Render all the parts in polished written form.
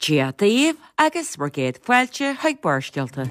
Dia daoibh agus bhur gcéad fáilte chuig Barrscéalta.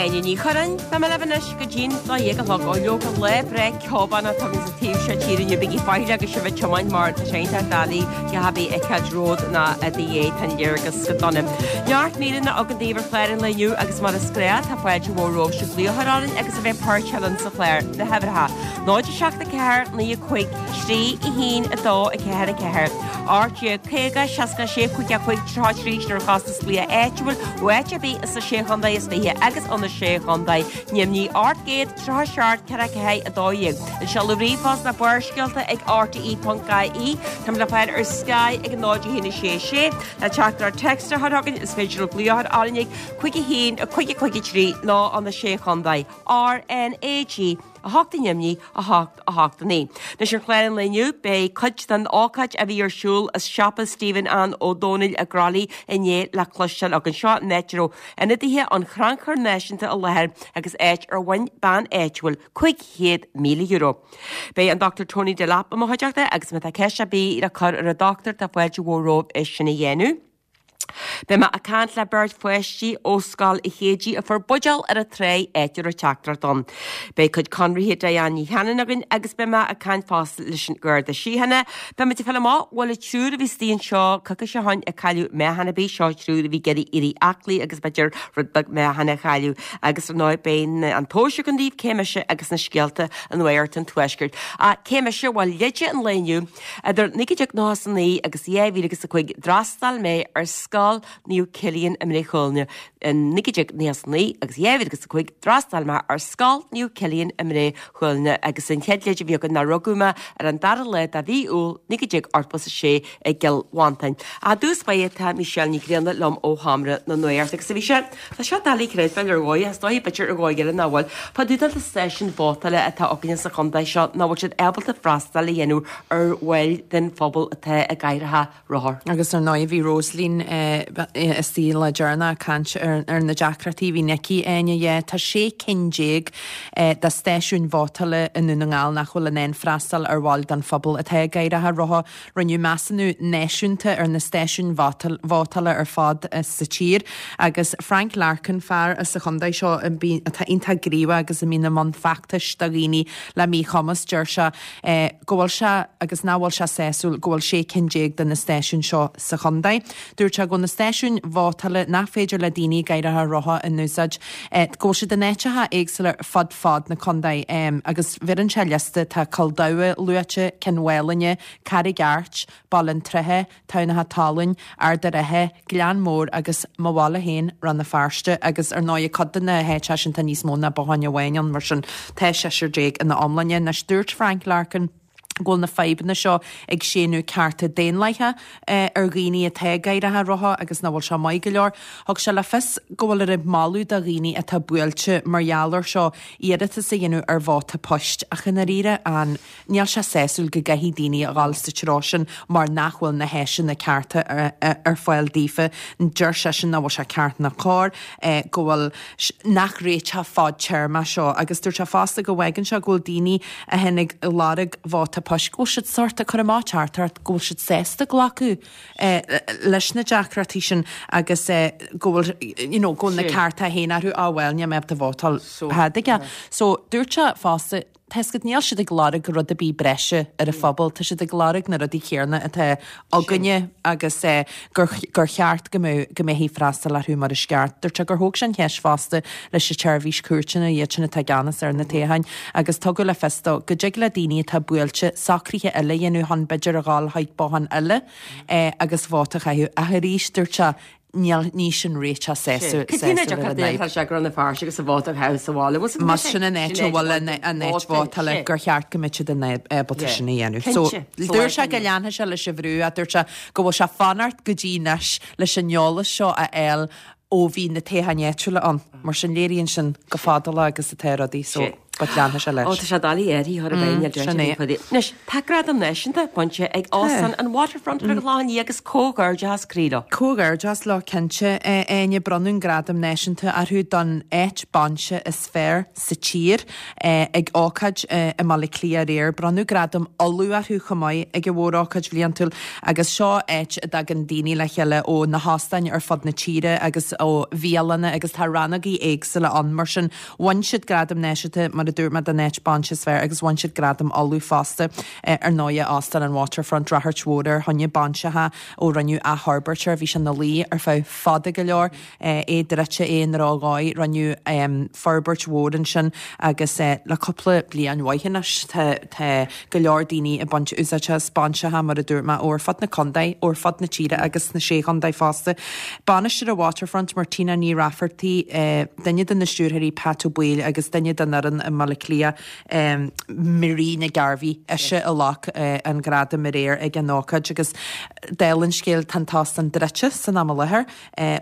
Áine Ní Churráin, Beidh mé libh anois go dtí'n 12 a chlog. Ó leoga lá breá ceobán atá againn sa taobh seo tíre inniu. Bígí faichilleach agus sibh ag tiomáint mar tá sé iontach doiligh a dhath ar bith a fheiceáilt romhat ná i do dhiaidh. Tá an léargas go dona. Neart míreanna againn daoibh ar chlár an lae inniu agus mar is gnách tá fáilte mhór romhaibh sibh glaoch a chur orainn agus a bheith páirteach linn sa chlár. Na huimhreacha, 0 7 4 9 5 3 1 2 4 4 18 50 66 5 5 33 sin ar chostas glaoch áitiúil ó áit ar bith sna Sé Chontae is Fiche agus ó na Sé Chontae Neamhní 837 4 4 12. An seoladh ríomhphost ná barrscéalta ag rte.ie. Táimid le fáil ar Sky ag 0 1 6 6. Le teachtaireacht téacs a chur chugainn is féidir libh glaoch a chur orainn ag 5 1 5 5 3 nó ó na Sé Chontae. RnaG 8 i nDoimní, 8, 8, 9. Anois ar chlár an lae inniu, beidh cuid den ócáid a bhí ar siúl i siopa Stephen Ann Ó Dónaill i gCroithlí inné le cloisteáil againn. Seo an áit a raibh ionadaithe an Chrannchuir Náisiúnta i láthair agus áit ar bhain bean áitiúil €500,000. Beidh an Dr Tony Delap i mo chuideachta agus má tá ceist ar bith le cur ar an dochtúir tá fáilte mhór romhaibh é sin a dhéanamh. Beidh mé ag caint le beirt pháistí ó Scoil Chéidí a fuair buidéal ar an tráigh áit a raibh teachtaireacht ann. Beidh cuid conraithe Diane Ní Chanainn againn agus beidh mé ag caint fosta leis an Gharda Síochána. Beidh muid ag fáil amach bhfuil an triúr a bhí istigh anseo coicís ó shoin ag cailleadh meáchan ar bith, seo triúr a bhí ag iarraidh éirí aclaí agus b'fhéidir rud beag meáchan a chailleadh. Agus ar ndóigh beidh an tomhas againn daoibh cé mise agus na scéalta i Nuacht an Tuaiscirt. Ach cé mise? Bhuel leide an lae inniu. Idir 1999 agus 2005 d'fhreastail mé ar Scoil Naomh Cillian i mBré Chuailgne. In 1999 agus 2005 d'fhreastail mé ar Scoil Naomh Cillian i mBré Chuailgne agus an chéad leid a bhí againn ná rugadh mé ar an dara lá de mhí Iúil 1986 i gCill Mhantáin. I dtús báire tá Michelle Ní Ghrianna liom ó Sheomra na Nuachta agus a Mhichelle, Tá seo doiligh a chreidbheáil ar dhóigh, is dóigh b'fhéidir ar dhóigh eile nach bhfuil. Fá dtaobh de na stáisiúin vótála atá againne sa chontae seo nach bhfuil siad ábalta freastal a dhéanamh ar bhaill den phobal atá i gcathracha rothar. Agus ar ndóigh bhí Rosaleen istigh an lá deireanach ag caint ar na deacrachtaí a bhíonn aici, Áine, yeah. Tá 16 cinn de stáisiúin vótála i nDún na nGall nach bhfuil in ann freastal ar bhaill den phobal atá i gcathracha rotha. Rinneadh measúnú náisiúnta ar na stáisiúin vótála ar fad sa tír agus Frank Larkin, fear as an chontae seo atá iontach gníomhach agus a mbíonn i mbun feachtais do dhaoine le míchumas, deir sé go bhfuil sé agus nach bhfuil sé sásúil go bhfuil 16 cinn de na stáisiúin seo sa chontae. Dúirt sé go bhfuil na stáisiúin vótála nach féidir le daoine i gcathracha rotha a n-úsáid, go bhfuil siad in áiteacha éagsúla ar fud fad na contae agus bheireann sé liosta, tá Cill Damha luaite, Cionn Mhálanna, Carraig Airt, Baile an tSratha, Tamhnach Talún, Ard a' Rátha, Gleann Mór agus mo bhaile féin, Rann na Feirste agus ar ndóigh cuid de na háiteacha sin tá níos mó ná bothán amháin ann mar sin tá seisear ina iomláine. Anois dúirt Frank Larkin, go bhfuil na fadhbanna seo ag séanadh cearta daonlathacha ar dhaoine atá i gcathracha rotha agus nach bhfuil sé maith go leor. Thug sé le fios go bhfuil ag moladh do dhaoine atá buailte mar gheall air seo iarratas a dhéanamh ar vóta poist ach i ndáiríre an níl sé sásúil go gcaithfidh daoine a dhul sa treo sin mar nach bhfuil na háiseanna cearta ar fáil daofa. Deir seisean nach bhfuil sé ceart ná cóir go bhfuil nach réiteach fadtéarmach seo agus dúirt sé fosta go bhfágann sé go bhfuil daoine a théann ag lorg vóta poist go bhfuil siad sórt ag cur amach teachtaireacht go bhfuil siad sásta glacadh leis na deacrachtaí sin agus go bhfuil you know go bhfuil na cearta féin orthu á bhuel níl mé ábalta vótáil thadaige. So dúirt sé fosta Tá a fhios agat, níl siad ag lorg rud ar bith breise ar an phobal, tá siad ag lorg na rudaí céanna atá againne agus gur gur cheart go mbeadh go mbeifí ag freastal orthu mar is ceart. Dúirt sé gur thóg sé an cheist fosta leis an tseirbhís cúirteanna, iad sin atá i gceannas ar na toghcháin, agus tugadh le fios dó go dtig le daoine atá buailte socruithe eile a dhéanamh chun b'fhéidir a dhul chuig bothán eile agus vóta a chaitheamh. Ach arís, dúirt sé, Níl, ní sin réiteach sásúil Cad é ar an fhadhb. Tá sé go raibh na fearr agus a vóta a chaitheamh sa bhaile. Bhfuil Más sin an áit a bhfuil an áit vótála gur cheart go mbeadh siad in ábalta sin a dhéanamh. So dúirt sé go leanfaidh sé leis an bhrú ach dúirt sé go bhfuil sé ag fanacht go dtí anois leis an eolas seo a fháil ó bhí na toghcháin áitiúla ann. Mar sin léiríonn sin chomh fadálach agus atá rudaí. So. but leanfaidh sé leis. Ó, tá sé doiligh uirthi a chur i bhfeidhm, níl deis Sin é. aici. Anois, tá gradam náisiúnta bainte ag Óstán an Waterfront ar an Chlochán Liath agus comhghairdeachas croí leo. Comhghairdeas leo cinnte, a Áine. Bronnadh an gradam náisiúnta orthu don áit bainse is fearr sa tír ag ócáid i mBaile Átha Cliath aréir. Bronnadh gradam Uladh orthu chomh maith ag an mhórócáid bhliantúil agus seo áit a dtagann daoine le chéile ó na hóstáin ar fud na tíre agus ó bhialanna agus tá rannógaí éagsúla ann mar sin bhain siad gradam náisiúnta mar a dúirt mé don áit bainse is fearr agus bhain siad gradam Uladh fosta. Ar ndóighe Óstán an Waterfront, ráchairt mhór air fá choinne bainseacha ó rinneadh athfhorbairt air. Bhí sé ina luí ar feadh fada go leor. É druidte, é i ndrochdhóigh. Rinneadh forbairt mhór ansin agus le cúpla bliain mhaith anois tá go leor daoine ag baint úsáide as bainseacha, mar a dúirt mé, ó ar fud na contae, ó ar fud na tíre agus sna Sé Chontae fosta. Bainisteoir an Waterfront, Martina Ní Raifeartaigh, duine de na stiúrthóirí Pat Ó Baoill agus duine den fhoireann i mBaile Átha Cliath, Marie Nic Gairbhí, ise a ghlac an gradam aréir ag an ócáid agus dála an scéil tá an t-óstán druidte san am i láthair.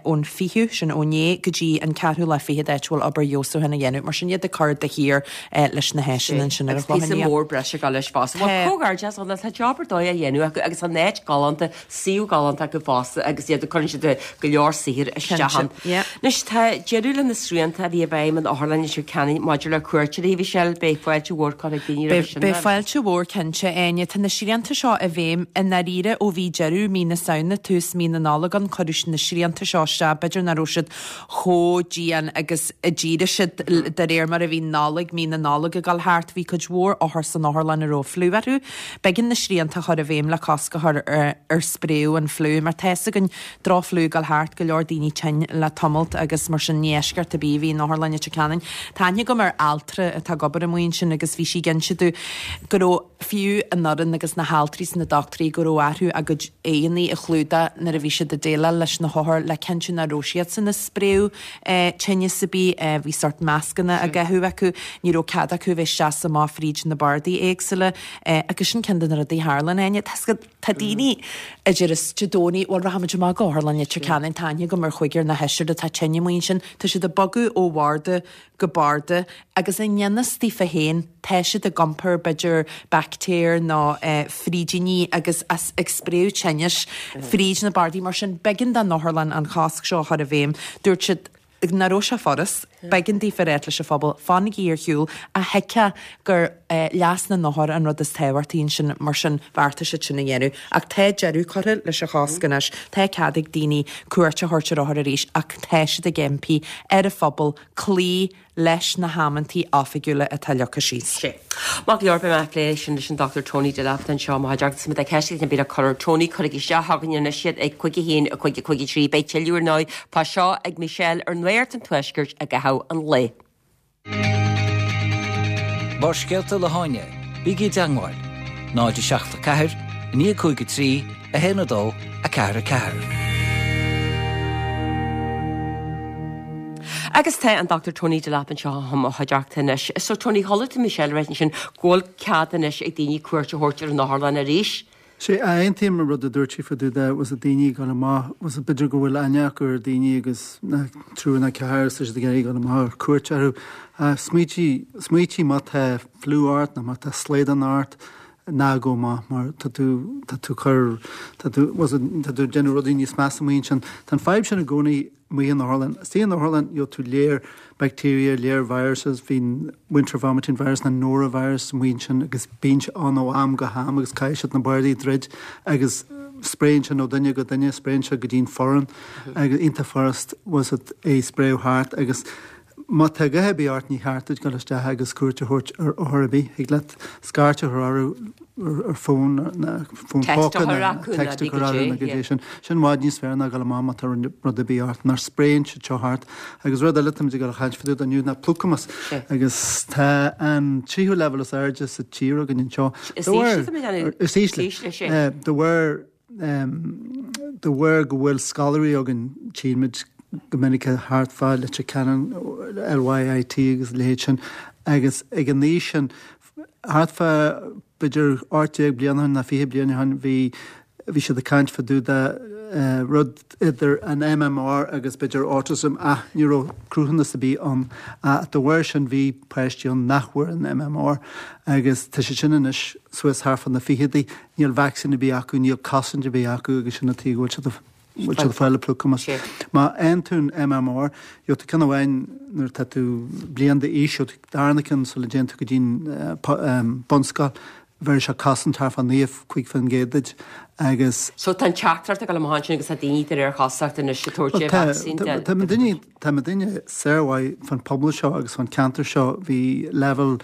ón 20ú, sin ó inné, go dtí an ceathrú lá fichead áit a bhfuil obair fheabhsúcháin á dhéanamh. Mar sin iad ag cur de shíor leis na háiseanna ansin ar an Agus píosa Chlochán Liath. mór breise ag dul leis fosta. Bhuel, comhghairdeas leo, tá job ar dóigh á dhéanamh acu agus an áit galánta, suíomh galánta acu fosta agus iad ag cuireann siad go leor saothair isteach ann. Cinnte, yeah. Anois, tá deireadh le na srianta a bhí i bhfeidhm in Otharlann Leitir Ceanainn maidir le cuairteoirí, Michelle, beidh fáilte mhór curtha ag daoine roimhe sin. Beidh fáilte mhór cinnte, Áine. Tá na srianta seo i bhfeidhm i ndáiríre ó bhí deireadh mí na Samhna, tús mí na Nollag ann. Cuireadh na srianta seo isteach, b'fhéidir nach raibh siad chomh dian agus a d'éirigh siad de réir mar a bhí Nollaig, mí na Nollag ag dul thart. Bhí cuid mhór othar san otharlann a raibh fliú orthu. B'éigean na srianta a chur i bhfeidhm le cosc a chur ar spréadh an fliú mar tá fhios againn drochfhliú ag dul thart, go leor daoine tinn le tamalt agus mar sin ní eisceacht ar bith a bhí in Otharlann Leitir Ceanainn. Tá aithne agam ar altra atá ag obair amuigh ansin agus bhí sí ag inse domh go raibh fiú an fhoireann agus na haltraí is na dochtúirí go raibh orthu a gcuid aghaidheanna a chlúdach nuair a bhí siad ag déileáil leis na hothair le cinntiú nach raibh siadsan ag spréadh tinneas ar bith. Bhí sórt mascanna á gcaitheamh acu, ní raibh cead acu a bheith isteach is amach fríd na bardaí éagsúla agus sin ceann de na rudaí a tharlaíonn, Áine. Tá daoine a deireas Dé Domhnaigh, bhuel rachaimid amach go Otharlann Leitir Ceanainn, tá aithne agam ar chúigear nó sheisear atá tinn amuigh ansin, tá siad ag bogadh ó bharda go barda agus i ngan fhios daofa féin tá siad ag iompar b'fhéidir baictéir nó frídíní agus ag spréadh tinnis fríd na bardaí mar sin b'éigean don otharlann an chosc seo a chur i bhfeidhm. Dúirt siad nach raibh sé furast. B'éigean daofa a ráit leis an phobal, fanaigí ar shiúl, ach thuigfeá gur leas na n-othar an rud is tábhachtaí ansin, mar sin bheartaigh siad sin a dhéanamh. Ach tá deireadh curtha leis an chosc anois, tá cead ag daoine cuairt a thabhairt ar othair arís ach tá siad ag impí ar an phobal cloí leis na hamantaí oifigiúla atá leagtha síos. Sea. Maith go leor, beidh mé ag plé sin leis an Dr Tony Delap anseo i mo chuideachta. Má tá ceist ar bith le cur ar Tony, cuirigí isteach chugainn anois iad ag 5 1 5 5 3. Beidh tuilleadh ar ndóigh fá seo ag Michelle ar Nuacht an Tuaiscirt i gcaitheamh an lae. Barrscéalta le hÁine, bígí i dteangmháil, 0 7 4 9 5 3 1 2 4 4. Agus tá an Dr Tony Delap anseo i mo chuideachta anois. So Tony, chuala tú Michelle ag ráit ansin go bhfuil cead anois ag daoine cuairt a thabhairt ar an otharlann arís. Sea, aontaím an rud a dúirt sí fá dtaobh de, was it daoine ag dul amach, was it b'fhéidir go bhfuil aithne acu ar daoine agus na triúr nó ceathrar is tá siad ag iarraidh dul amach ar cuairt orthu. Smaoitigh, smaoitigh má tá fliú ort nó má tá slaghdán ort, ná gabh amach mar tá tú, tá tú cur, tá tú, was it, tá tú ag déanamh rudaí níos measa amuigh ansin. Tá an fadhb sin i gcónaí amuigh in otharlann. Istigh in otharlann, gheobhaidh tú léar bacteria, léar viruses, bíonn winter vomiting virus nó norovirus amuigh ansin agus bíonn sé ann ó am go ham agus caithfidh siad na bardaí a dhruid agus spréann sé ó duine go duine, spréann sé go dtí'n foireann agus iontach furast was it é spréadh thart agus má tá a dhath ar bith ort ní cheart duit dul isteach agus cuairt a thabhairt ar othar ar bith. Thig leat scairt a chur orthu ar fón nó fón póca nó text a chur orthu nó goidé sin. Sin i bhfad níos fearr ná dul amach má tá rud ar bith ort mar spréann siad seo thart. Agus rud eile táimid ag dul a chaint fá dtaobh de inniu ná plúchamas. Agus tá an tríú leibhéal is airde sa tír againn anseo. Is ísle tá mé ag déanamh. Is ísle. De bharr De bharr go bhfuil scoláirí againn, tchíonn muid go minic thart fá Leitir Ceanainn, LYIT agus a leithéid sin, agus ag an aois sin, thart fá b'fhéidir 18 bliain ó shin nó 20 bliain ó shin, bhí, bhí siad ag caint fá dtaobh de. rud idir an MMR agus b'fhéidir autism ach ní raibh cruthúnas ar bith ann. Ach dá bharr sin bhí páistí ann nach bhfuair an MMR agus tá siad sin anois suas thart fá na ficheadaí, níl vacsaín ar bith acu, níl cosaint ar bith acu agus sin an tuige go bhfuil siad bhfuil siad ag fáil an plucamás. Má fhaigheann tú an MMR, gheobhaidh tú ceann amháin nuair atá tú bliain d'aois, gheobhaidh tú darna ceann sula dtéann tú go dtí an bunscoil, bheir sé cosaint thart fá 95% duit agus. So tá an teachtaireacht ag dul amach ansin agus tá daoine de réir chosúlachta anois ag tabhairt an vacsaín den. Tá daoine, tá daoine saormhaith fan pobal seo agus fan ceantar seo, bhí leibhéal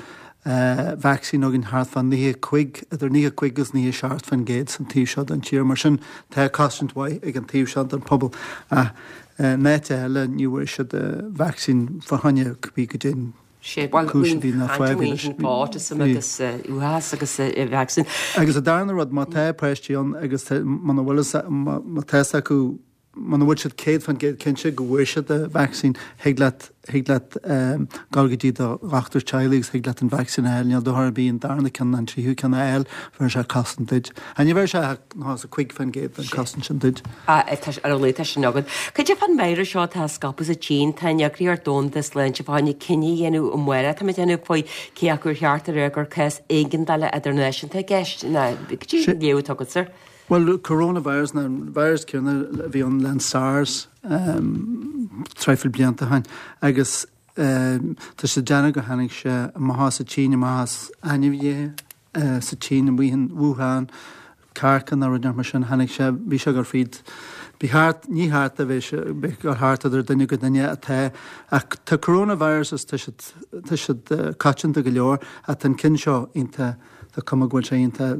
vacsaín againn thart fá 95, idir 95 agus 97% san taobh seo den tír, mar sin tá cosaint mhaith ag an taobh seo den pobal ach in áit eile ní bhfuair siad vacsaín fá choinne cibé goidé an Sé, bhuel, cúis a bhí ná fadhb leis. Autism agus uathachas agus vacsaín. Agus an darna rud, má tá páistí ann agus muna bhfuil fhios, má tá fhios acu, muna bhfuil siad 100% cinnte go bhfuair siad an vacsaín, thig leat, thig leat dul go dtí do dhochtúir teaghlaigh agus thig leat an vacsaín a fháil. Níl dochar ar bith an darna ceann ná an tríú ceann a fháil, bheir sé cosaint duit. Ach ní bheir sé ach 95% den chosaint sin duit. Ar a laghad tá sin agat. Cad é fán víreas seo atá ag scaipeadh sa tSín? Tá an Eagraíocht Domhanda Sláinte fá choinne cinneadh a dhéanamh amárach, tá mé ag déanamh, faoi cé acu ar cheart a rá gur cás éigeandála idirnáisiúnta i gceist nó cad é an léamh atá agatsa air? Bhuel, coronavirus ná an virus céanna a bhí ann le SARS traidhfil blianta ó shin agus tá siad ag déanamh go tháinig sé amach as an tSín, amach as ainmhithe. sa tSín, amuigh in Wuhan, cearca nó rud mar sin, tháinig sé, bhí sé ag dul fríd, bhí thart, ní thart a bheith sé, bhí ag dul thart idir duine go duine atá, ach tá coronaviruses, tá siad, tá siad coitianta go leor, ach tá an ceann seo iontach, tá cuma go bhfuil sé iontach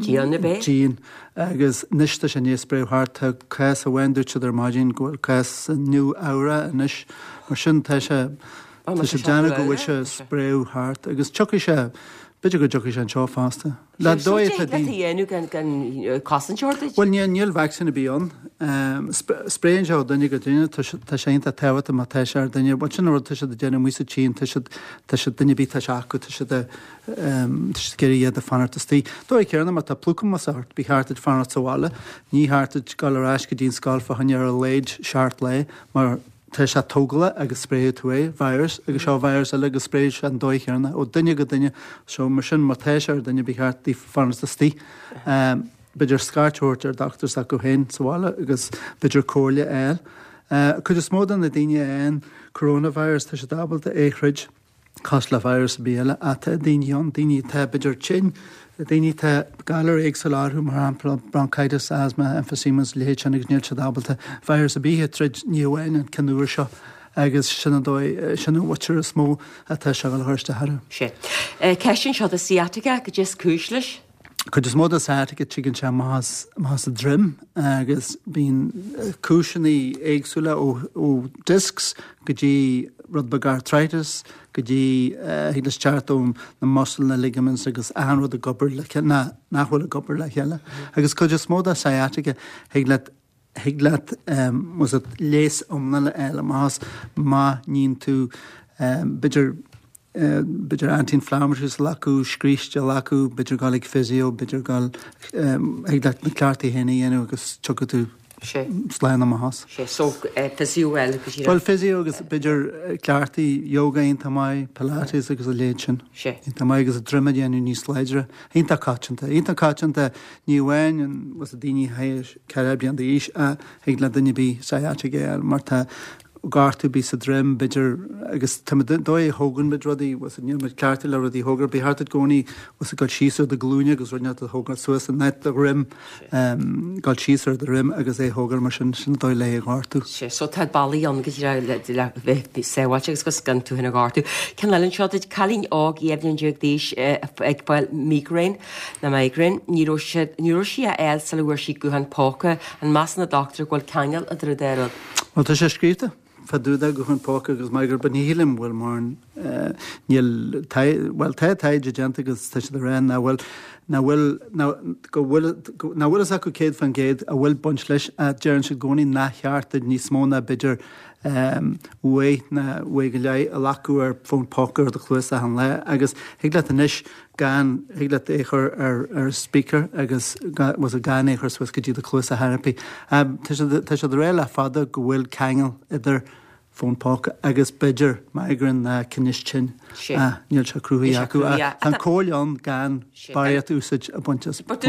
Dian, ab é? dian agus anois tá sé i ndiaidh spréadh thart, tá cás amháin, dúirt siad ar maidin go bhfuil cás i Nua Eabhrac anois, mar sin tá sé, Tá sé ag déanamh go bhfuil sé ag spréadh thart agus tiocfaidh sé, b'fhéidir go dtiocfaidh sé anseo fosta. Le dóigh atá daoine. a dhéanamh gan gan cosaint a thabhairt duit? Bhuel níl, níl vacsaín ar bith ann. Spréann sé ó duine go duine, tá sé, tá sé iontach tábhachtach má tá sé ar duine, bhuel sin an rud tá siad ag déanamh amuigh sa tSín, tá siad, tá siad, duine ar bith tá sé acu, tá siad a, tá siad ag iarraidh iad a fanacht istigh. Dóigh céanna má tá plucamas ort, ba cheart duit fanacht sa bhaile, ní cheart duit dul ar ais go dtí an scoil fá choinne ar a laghad seacht lá mar, Tá sé tógálach agus spréifidh tú é, virus, agus seo virus eile agus spréifidh sé an dóigh chéanna ó duine go duine. So mar sin má tá sé ar duine ba cheart daofa fanacht istigh. B'fhéidir scairt a thabhairt ar dochtúir s'acu féin sa bhaile agus b'fhéidir comhairle a fháil. Cuid is mó de na daoine a fhaigheann coronavirus tá siad ábalta é a throid. cosúil le virus ar bith eile ach tá daoine ann, daoine atá b'fhéidir tinn, daoine atá galar éagsúla orthu, mar shampla bronchitis, asthma, emphysema is a leithéid sin agus níl siad ábalta virus ar bith a troid, ní amháin an ceann úr seo agus sin an dóigh, sin an mhuintir is mó atá sé ag dul a chur isteach orthu. Sea. Ceist anseo do sciatica, cad é is cúis leis? Cuid is mó de sciatica tigeann sé amach as amach as an droim agus bíonn cúiseanna éagsúla ó ó discs go dtí rud beag arthritis go dtí thig leis teacht ó na muscle na ligaments agus achan rud ag obair le chéile ná nach bhfuil ag obair le chéile. Agus cuid is mó de sciatica thig leat thig leat was it leigheas iomlán a fháil amach as má níonn tú b'fhéidir b'fhéidir anti-inflammatories a ghlacadh, scríste a ghlacadh, b'fhéidir dul ag physio, b'fhéidir dul thig leat na cleachtaí féin a dhéanamh agus tiocfaidh tú slán amach as. Sé, so physio eile go díreach. Bhuel physio agus b'fhéidir cleachtaí yoga iontach maith, pilates agus a leithéid sin. Sé. Iontach maith agus an droim a dhéanamh níos láidre. Iontach coitianta. Iontach coitianta ní amháin an was it daoine 40 bliain d'aois ach thig le duine ar bith sciatica a fháil mar tá gortú ar bith sa droim, b'fhéidir, agus tá muid, dóigh a thógann muid rudaí, was it, níl muid cleachtaithe le rudaí a thógáil, ba cheart duit i gcónaí, was it, dul síos ar do ghlúine agus rud inteacht a thógáil suas in áit do dhroim, dul síos ar do dhroim agus é a thógáil mar sin, sin an dóigh le é a ghortú. Sea, so tá bealaí ann go díreach le, le bheith sábháilte agus agus gan tú féin a ghortú. Ceann eile anseo duit, cailín óg 12 bhliain d'aois ag fáil migraine, nó migraine, ní raibh siad, ní raibh sí á fháil sula bhfuair sí guthán póca, an measann an dochtúir go bhfuil ceangal idir an dá rud? Bhuel, tá sé scríofa fá dtaobh de guthán póca agus migraine, but ní shílim go bhfuil mórán. Níl, bhuel tá taighde déanta agus tá siad ag rá nach bhfuil, nach bhfuil, go bhfuil, nach bhfuil fhios acu 100% a bhfuil baint leis ach deireann siad i gcónaí nach cheart duit níos mó ná b'fhéidir uair nó uair go leith a ghlacadh ar fón póca ar do chluas achan lá agus thig leat anois gan, thig leat é a chur ar ar speaker agus was it gan é a chur suas go dtí do chluas ar chor ar bith. Tá siad tá siad ag rá le fada go bhfuil ceangal idir fón póca agus b'fhéidir migraine ná tinneas tinn. Ach níl sé cruthaithe acu. Ach tá an comhairle ann gan barraíocht úsáid a bhaint as fón póca.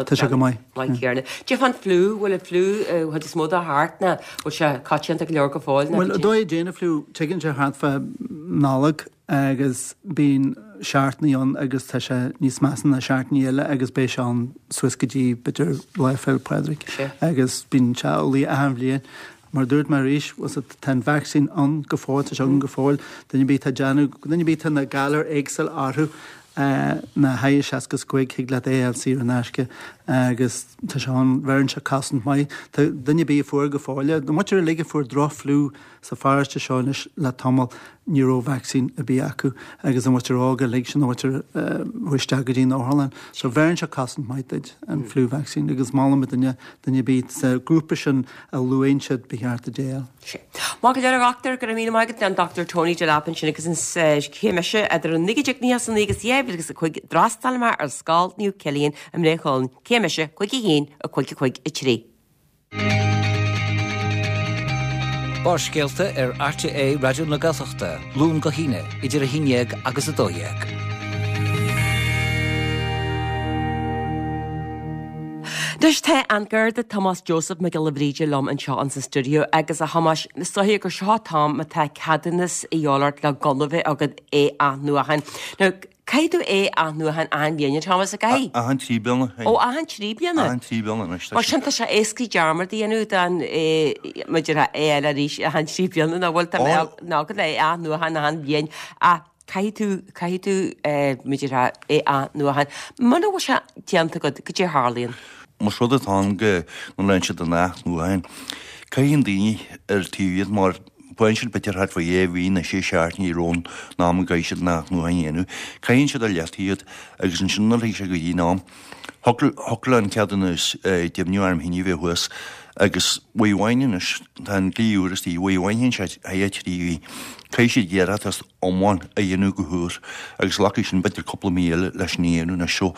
Tá sé go maith. Cad é fán fliú, bhfuil an fliú chuid is mó de thart nó bhfuil sé coitianta go leor go fóill? Bhuel, an dóigh a dtéann an fliú, tigeann sé thart fá Nollaig agus bíonn seachtainí ann agus tá sé níos measa ná seachtainí eile agus beidh sé ann suas go dtí b'fhéidir Lá Fhéile Pádraig agus bíonn sé amhlaidh achan bhliain. Mar a dúirt mé arís, tá an vacsaín ann go fóill, tá sé againn go fóill, duine ar bith atá ag déanamh, duine ar bith atá na galair éagsúil orthu, na thigh 65 thig leat é a fháil saor in aisce agus tá sé ann, bheireann sé cosaint maith. Tá duine ar bith a fuair go fóill é, na muintir uilig a fuair droch-fhliú sa pharóiste seo anois le tamall, ní raibh vacsaín ar bith acu agus an mhuintir óg uilig sin, an mhuintir a chuaigh isteach go dtí an otharlann. So bheireann sé cosaint maith duit, an flu vaccine, agus molaim duine, duine ar bith sa ghrúpa sin a luann siad ba cheart duit é a fháil. Sea. Maith go leor a dhochtúir, go raibh míle maith agat, an Dr Tony Delap ansin agus an chéim mise idir an 1999 agus 2005 d'fhreastail mé ar Scoil Naomh Cillian i mBré Chuilinn, céim mise 5 1 5 5 3. Barrscéalta ar RTÉ Raidió na Gaeltachta, Luan go hAoine, idir 11 agus 12. Anois tá an Garda Tomás Joseph Mac Giolla Bhríde liom anseo ins an stiúideo agus a Thomáis, is dóiche gur seo an t-am má tá ceadúnas a dhíobháil ort le gunna bheith agat é a athnuachan. Now, Caithfidh tú é a athnuachan achan bhliain, a Thomas, an gcaithfidh? Achan trí bliana. Ó, achan trí bliana? Achan trí bliana anois. Mar sin tá sé éasca dearmad a dhéanamh den maidir le é a fháil arís achan trí bliana, nach bhfuil? Tá mé ná go le é a athnuachan achan bhliain ach caithfidh tú, caithfidh tú maidir le é a athnuachan. Muna bhfuil sé déanta agat, goidé a tharlaíonn? Más rud atá ann go n-leanann siad an athnuachan, caithfidh an daoine ar taobh iad mar faigheann siad b'fhéidir thart fá dhé mhí nó sé seachtainí roimh an am a gcaithfidh siad an athnuachan a dhéanamh. Caitheann siad ar leataobh iad agus ansin nuair a thig sé go dtí an am, thiocfadh le an ceadúnas deimhniú arm thine a bheith thuas agus uair amháin anois, tá an dlí úr istigh, uair amháin théann sé thar trí mhí, caithfidh siad iarratas iomlán a dhéanamh go húr agus glacfaidh sin b'fhéidir cúpla mí eile leis sin a dhéanamh anois. So,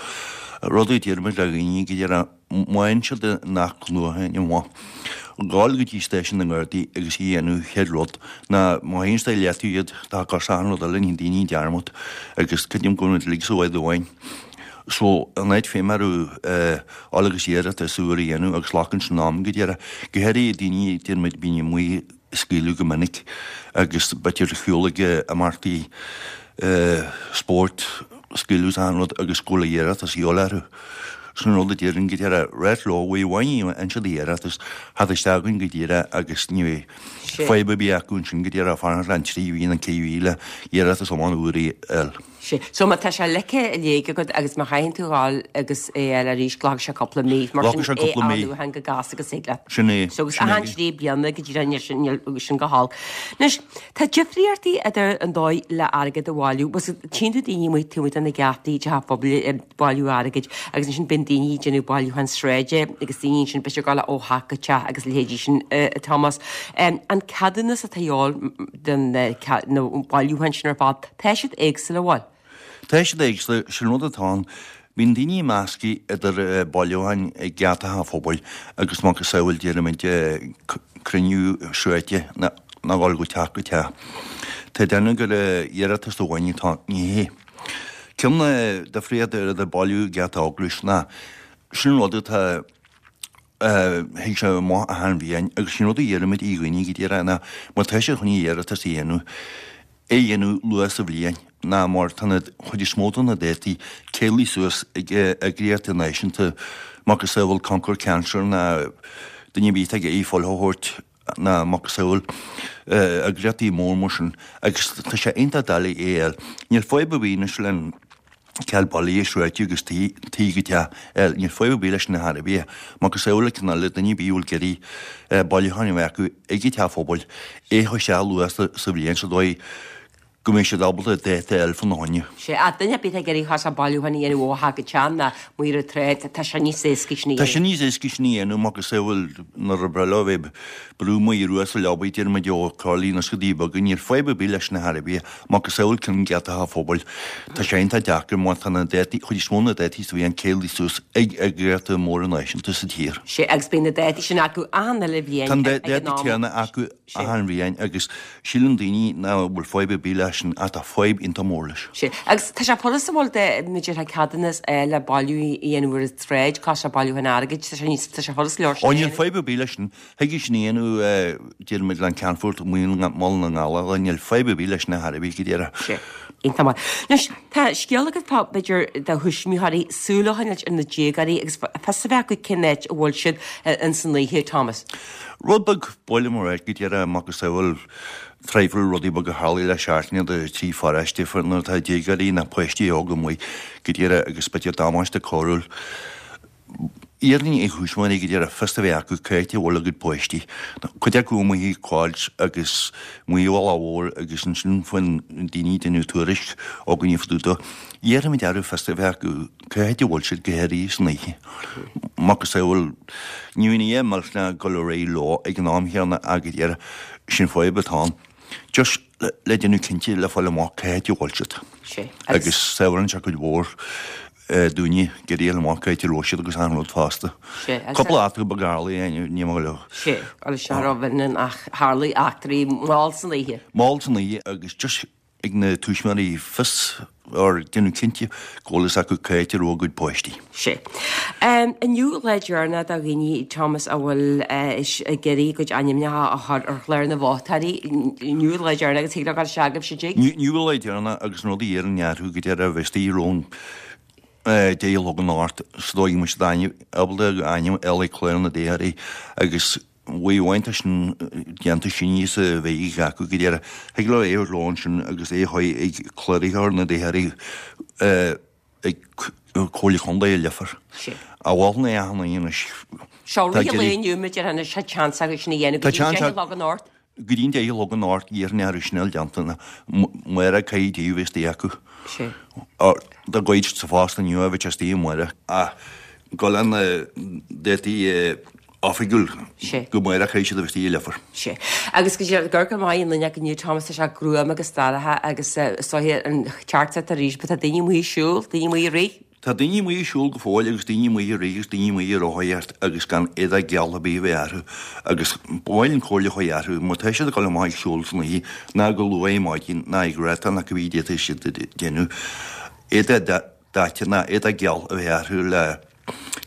rud a deirimid le dhaoine go deireadh, má fhaigheann siad an athnuachan amach, gabháil go dtí stáisiún na nGardaí agus í a dhéanamh chéad rud ná má théann siad ar leataobh iad, tá cos achan rud eile, ní daoine dearmad agus creidim go bhfuil muid uilig sa bhád amháin. So, an áit féin mar a fháil agus iarratas úr a dhéanamh agus glacann sin am go deireadh. Go háirithe daoine, deirimid, bíonn amuigh scaoileadh go minic agus b'fhéidir ar shiúl ag imeachtaí spóirt, scaoileadh is achan rud agus go bhfuil iarratas a dhíobháil orthu. Sin rud a déarfainn go díreach, ráit leo, uair amháin a fhaigheann siad iarratas, theacht isteach againn go díreach agus ní bheidh fadhb ar bith acu ansin go díreach fanacht le an trí mhí nó ceithre mhí le iarratas iomlán úr a fháil. Sea. So má tá sé ligthe i léig agat agus má chaitheann tú a ghabháil agus é a fháil arís, glacfaidh sé cúpla mí. Mar sin, Glacfaidh sé é cúpla mí. athnuachan chomh gasta agus thig leat. Sin é. So agus Sin é. achan trí bliana go dtí an sin, níl sin go holc. Anois, tá difríochtaí idir an dóigh le airgead a bhailiú. Bhuel, tchíonn tú daoine amuigh taobh amuigh de na geataí teach pobail ag bailiú airgid agus ansin bíonn daoine ag déanamh bailiúchán sráide agus daoine ansin b'fhéidir ag gabháil ó theach go teach agus a leithéidí sin, a Thomas. An ceadúnas atá a dhíobháil don na bailiúcháin sin ar fad, Tá siad éagsúil, an bhfuil? Tá siad éagsúil, sin rud atá ann. Bíonn daoine measctha idir bailiúcháin ag geatacha an phobail agus macasamhail deirimid cruinniú sráide nó dhul go teach go teach. Tá duine gur iarratas amháin atá, ní hé. Ceann difríocht idir bailiú geata eaglais ná sin rud atá Thig sé amach achan bhliain agus sin rud a dheirimid i dhaoine go díreach ná má tá siad chun iarratas a dhéanamh, é a dhéanamh luath sa bhliain ná mar tá na chuid is mó de na dátaí ceangailte suas ag eagraíochtaí náisiúnta macasamhail Conquer Cancer ná duine ar bith atá ag iarraidh fuil a thabhairt ná macasamhail eagraíochtaí mór mar sin agus tá sé iontach doiligh é a fháil. Níl fadhb ar bith anois le an. Ceal bailithe sroichte agus tí go teach eile. Níl fadhb ar bith leis sin ar chor ar bith. Macasamhail le cineál le duine ar bith a bhfuil ag iarraidh bailiúchán a bheith acu ag an teach phobail, é a chur isteach luath sa bhliain sa dóigh go mbeidh siad ábalta dáta a fháil fána choinne. Sea, ach duine ar bith atá ag iarraidh chos bailiúchán a dhéanamh ó theach go teach ná amuigh ar an tsráid, tá sé níos éasca sin a Tá sé níos éasca sin a dhéanamh, macasamhail nuair a breá leo a bheith ag brú amuigh ar sa leabaidh, deir muid ó Chorlaí na Scadaí Beaga, níl fadhb ar bith leis sin ar chor ar bith. Macasamhail cionn geata an phobail. Tá sé iontach deacair mar tá na dátaí, chuid is mó na dátaí sa bhliain ceangailte suas ag eagraíochtaí móra náisiúnta sa tír. Sea, agus bíonn na dátaí sin acu achan uile bhliain Tá na dátaí céanna acu achan bhliain agus síleann daoine nach bhfuil fadhb ar bith leis sin ach tá fadhb iontach mór leis. Sea, agus tá sé furasta bhuel dá mb'fhéidir ceadúnas a fháil le bailiú a dhéanamh ar an tsráid, cás bailiúchán airgid, tá sé níos, tá sé furasta go leor sin a dhéanamh. Ó níl fadhb ar bith leis sin. Thig sin a dhéanamh, deir muid, le an Ceannfort amuigh i mBaile na nGall, níl fadhb ar bith leis sin ar chor ar bith go díreach. Sea. Iontach maith. Anois, tá scéal agat fá, b'fhéidir, do thuismitheoirí, súil a choinneáilt ar na déagóirí agus fios a bheith acu cén áit a bhfuil siad ins an oíche, Thomas. Rud beag ba mhaith liom a rá go díreach, macasamhail traidhfil rudaí beaga a tharlaigh le seachtain idir trí pharóiste nuair atá déagóirí nó páistí óga amuigh go díreach agus b'fhéidir damáiste cóiriúil. Iarraim ar thuismitheoirí go díreach fios a bheith acu cá háit a bhfuil a gcuid páistí. Cuid acu amuigh ag gabháilt agus amuigh ar an bhealach mhór agus ansin faigheann daoine ag déanamh tuairisc againne fá dtaobh dó. Iarraimid orthu fios a bheith acu cá háit a bhfuil siad go háirithe san oíche. Macasamhail, ní bhíonn a dhath millteanach ag dul ar aghaidh leo ag an am chéanna ach go díreach sin fadhb atá ann. Just le déanamh cinnte le fáil amach cá háit a bhfuil siad. Agus sábhálann sé cuid mhór. dúinne ag iarraidh a fháil amach cá háit a raibh siad agus achan rud fosta. Cúpla eachtra beag a tharlaigh, ní maith leo. Sea, agus seo raibh in ach tharlaigh eachtraí mall san oíche. Mall san oíche agus just ag na tuismitheoirí fios or déanamh cinnte go bhfuil fhios acu cá háit a raibh a gcuid páistí. Sea. Inniu lá deireanach do dhaoine, Thomas, a bhfuil ag iarraidh a gcuid ainmneacha a chur ar chlár na vótóirí. Inniu lá deireanach agus thig leo dul isteach agaibh sa dtigh. Inniu lá deireanach agus an rud a iarrann orthu go deireadh a bheith istigh romhainn 10 a chlog anocht sa dóigh go mbeidh siad ainm, ábalta a ainm a fháil ag clár na dtoghthóirí agus uair amháin tá sin déanta sin í sa bheidh acu go deireadh. Thig leo é a thabhairt leo ansin agus é a chur ag cláraitheoir na dtoghthóirí ag Comhairle Contae i Leifear. A mholfainn é achan duine anois. Seo rith an lae inniu, b'fhéidir anois tá seans acu sin a dhéanamh go dtí 10 a chlog anocht. Go dtí an 10 a chlog anocht iarrfainn orthu sin a fháil déanta amárach caithfidh a bheith istigh acu. Dá gcuid sa phost inniu a bheith istigh amárach. Ach go le na dátaí oifigiúil go amárach caithfidh siad a bheith istigh i Leifear. Sea. Agus go dtí gur go maith an duine acu inniu, Thomas, tá sé gruama agus dorcha agus is dóiche an ceart tar éis, tá daoine amuigh ag siúl, daoine amuigh ag rith. Tá daoine amuigh ag siúl go fóill agus daoine amuigh ag rith agus daoine amuigh ag rothaíocht agus gan éadach geal ar bith a bheith orthu agus ba mhaith linn comhairle a chur orthu má tá siad ag dul amach ag siúl san oíche ná go luath ar maidin ná ag rothaíocht ná cibé a d'fhéadfadh siad a dhéanamh éadach daite ná éadach geal a bheith orthu le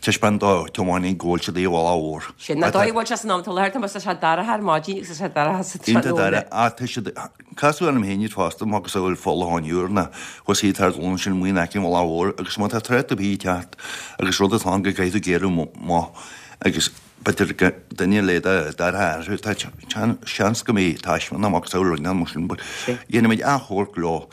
taispeáint do thiománaí go bhfuil siad ar an bhealach mhór. Sin an dóigh a bhfuil sé san am atá láthair, tá sé dorcha ar maidin agus tá sé dorcha sa tráthnóna. Ach tá siad, casadh orm féin iad fosta, macasamhail Folacháin Úr ná thuas iad thar dul ansin amuigh in aice an bhealaigh mhóir agus má tá trácht ar bith ag teacht agus rud atá ann go gcaithfidh tú géarú amach agus b'fhéidir duine le dorcha orthu, tá seans go mbeidh taisme ná macasamhail rud mar sin but dhéanfaimid achomharc leo.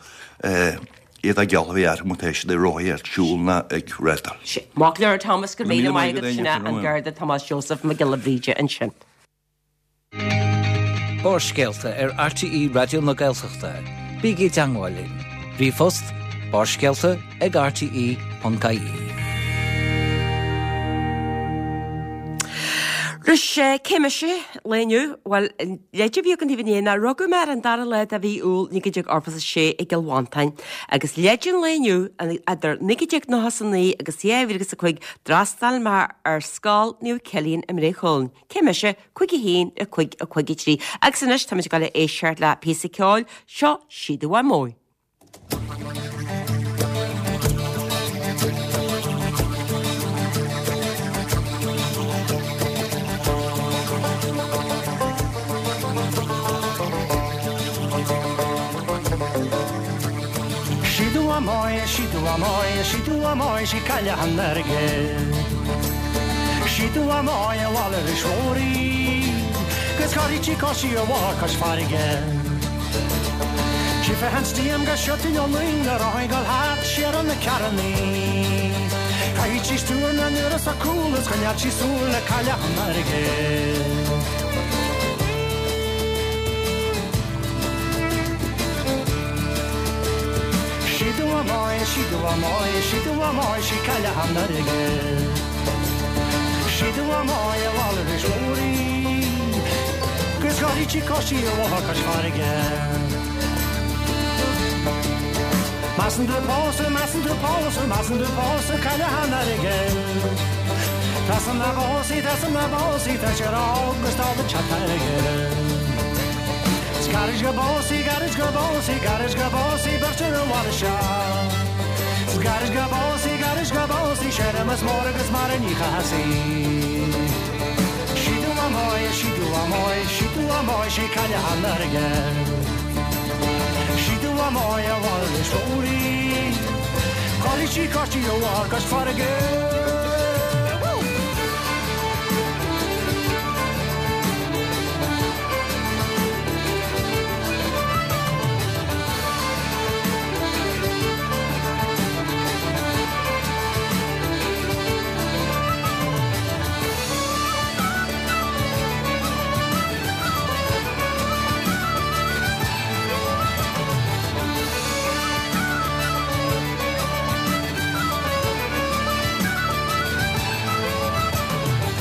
Éadach geal a bheith orthu má tá siad ag rothaíocht, siúl ná ag rátáil. Maith go leor Thomas, go raibh míle maith agat, sin é an Garda Tomás Joseph Mac Giolla Bhríde ansin. Barrscéalta ar RTÉ Raidió na Gaeltachta. Bígí i dteangmháil linn. Ríomhphost, barrscéalta ag rte.ie. Anois, cé mise, lae inniu? Bhuel, Leid a bhí againn daoibh inné ná rugadh mé ar an dara lá de mhí Iúil 1986 i gCill Mhantáin agus leid an lae inniu, idir 1999 agus 2005 d'fhreastail mé ar Scoil Naomh Cillian i mBré Chuilinn. Cé mise? 5 1 5 5 3 Agus anois táimid ag dul a éisteacht le píosa ceoil, seo Síoda Mhamó. Sí do mhamáí, sí do mhamáí, sí do mhamáí, sí cailleach an airgid. Sí do mhamáí a mhalaire is mhór í, 'gus cuirfidh sí cois ar bhóthar cois farraige. Tchífeá an steam go siotfainn ó luing na rothaí ag dul thart siar ar na carrannaí. Chaith sí stiúir na n-uair sa cúl is choinneáil sí súil le cailleach an fharraige. Sí do mhamáí, sí do mhamáí, sí do mhamáí, sí cailleach an fharraige. Sí do mhamáí a mhalar is mhór í, 'gus chothaigh sí coisí a mháthair cois farraige. Measann tú pósadh, measann tú pósadh, measann tú pósadh cailleach an fharraige. Tá san na bósaí, tá san na bósaí, tá sé rá agus tá an teach aige. 'S gairid go bpósfaí, gairid go bpósfaí, gairid go bpósfaí beirt ar an bhaile seo. 'S gairid go bpósfaí, gairid go bpósfaí, Séamus mór agus Máire Ní Chathasaigh. Sí do mhamáí, sí do mhamáí, sí do mhamáí, sí cailleach an fharraige. Sí do mhamáí a mhála is mór í, Chothaigh sí coisí a mháthar cois farraige.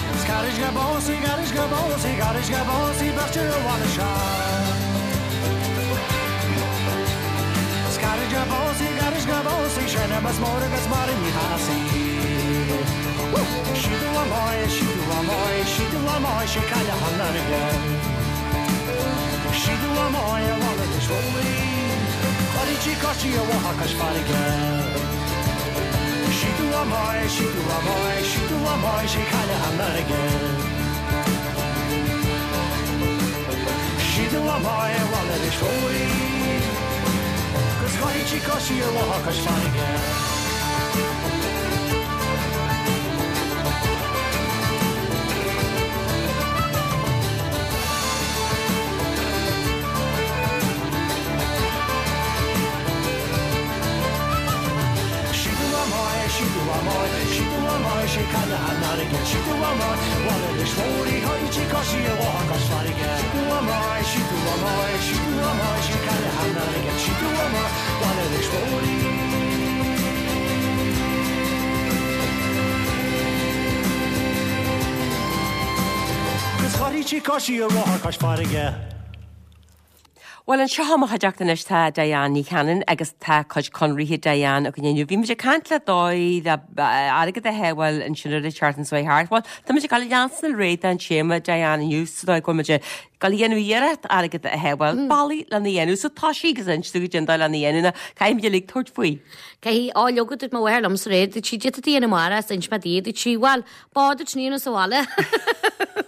'S gairid go bpósfaí, gairid go bpósfaí, gairid go bpósfaí beirt ar an bhaile seo. 'S gairid go bpósfaí, gairid go bpósfaí, Séamus mór agus Máire Ní Chathasaigh. Sí do mhamáí, sí do mhamáí, sí do mhamáí, sí cailleach an fharraige. Sí do mhamáí a mhála is mhór í, Chothaigh sí coisí a mháthar cois farraige. Sí do mhamáí, sí do mhamáí, sí do mhamáí, sí cailleach an fharraige. Sí do mhamáí a mhála is mhór í, 'Gus chothaigh sí coisí a mháthar cois farraige. Sí do mhamáí, sí do mhamáí, sí do mhamáí, sí cailleach an fharraige, sí do mhamáí, mhála is mhór í, chothaigh sí coisí a mháthar cois farraige. Sí do mhamáí, sí do mhamáí, sí do mhamáí, sí cailleach an fharraige, sí do mhamáí, mhála is mhór í. 'Gus chothaigh sí coisí a mháthar cois farraige. Bhuel, anseo i mo chuideachta anois tá Diane Ní Chanainn agus tá cuid conraithe Diane againn inniu. Bhí muid ag caint le dóigh le airgead a shábháil ansin ar an tseachtain seo thart. Bhuel, tá muid ag dul a leanstan ar aghaidh den téama Diane inniu sa dóigh go bhfuil muid ag dul a dhéanamh iarracht airgead a shábháil, bealaí lena dhéanamh. So toisigh agus inis dúinn goidé an dóigh lena dhéanamh nó caithfidh muid uilig tabhairt faoi. Caithfidh, á leoga dúirt mo mháthair liomsa aréir, dúirt sí, d'fhéadfá a dhéanamh amárach, is d'inis mé di, dúirt sí, bhuel, Bád duit ní sa bhaile.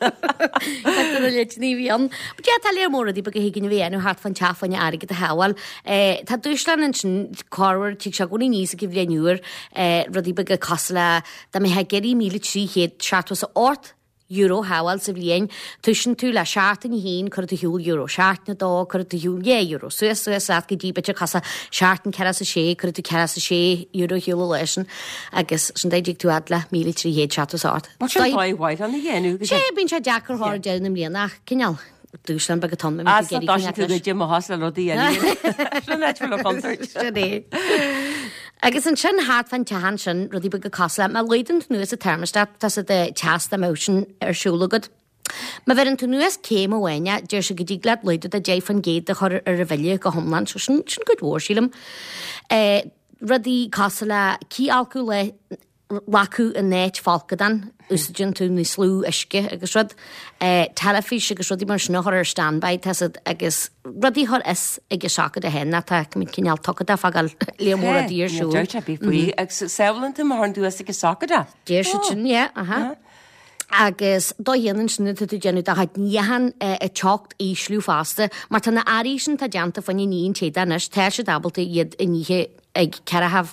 Cuid de na leideanna a bhí ann. But yeah, tá léar mór rudaí beaga a thig linn a bheith a dhéanamh thart fán teach fá choinne airgead a shábháil. Eh, tá dúshlán ansin, corruair, tig sé i gcónaí aníos ag an bhliain úr, eh, rudaí beaga cosúil le dá mbeifeá ag iarraidh €1,378 a shábháil sa bhliain, toisíonn tú le seachtain a haon, cuirfidh tú ar shiúl euro, seachtain a dó, cuirfidh tú ar shiúl €2, suas, suas leat go dtí b'fhéidir cosúil seachtain 46, cuirfidh tú €46 ar shiúl an lá sin. Agus sin dóigh a dtig tú fhad le 1,378. Bhuel, sin dóigh mhaith lena dhéanamh. Sé, bíonn sé deacair thar deireadh na mbliana ach cineál dúshlán beag atá ann. As a dtoisíonn tú goidé mo shos le rudaí eile. Sin áit fuil contúirt. Sin é. Agus ansin thart fán teach ansin rudaí beaga cosúil le má laghdaíonn tú anuas an thermostat tá sé de teas dá mbeadh sin ar siúl agat. Má bheireann tú anuas céim amháin é, deir sé go dtig leat laghdú de 10% a chur ar an bhille go hiomlán. So sin sin cuid mhór sílim. Eh, rudaí cosúil le cithfholcadh le lacadh in áit folcadán, úsáideann tú níos lú uisce agus rud. Eh, teilifís agus rudaí mar sin a chur ar standby, tá siad agus rudaí a chur as ag an socket a féin, tá cineál tugtha de fágáil léar mór rudaí ar siúl. Deir sé bí faoi agus sábhálann tú má chuireann tú as ag an socket é. Deir siad sin, yeah, aha. Agus do dhéanann sin atá tú ag déanamh do chuid níocháin an teocht a ísliú fosta, mar tá na earraí sin atá déanta fá choinne ní an téada anois, tá siad ábalta iad a nithe ag ceathracha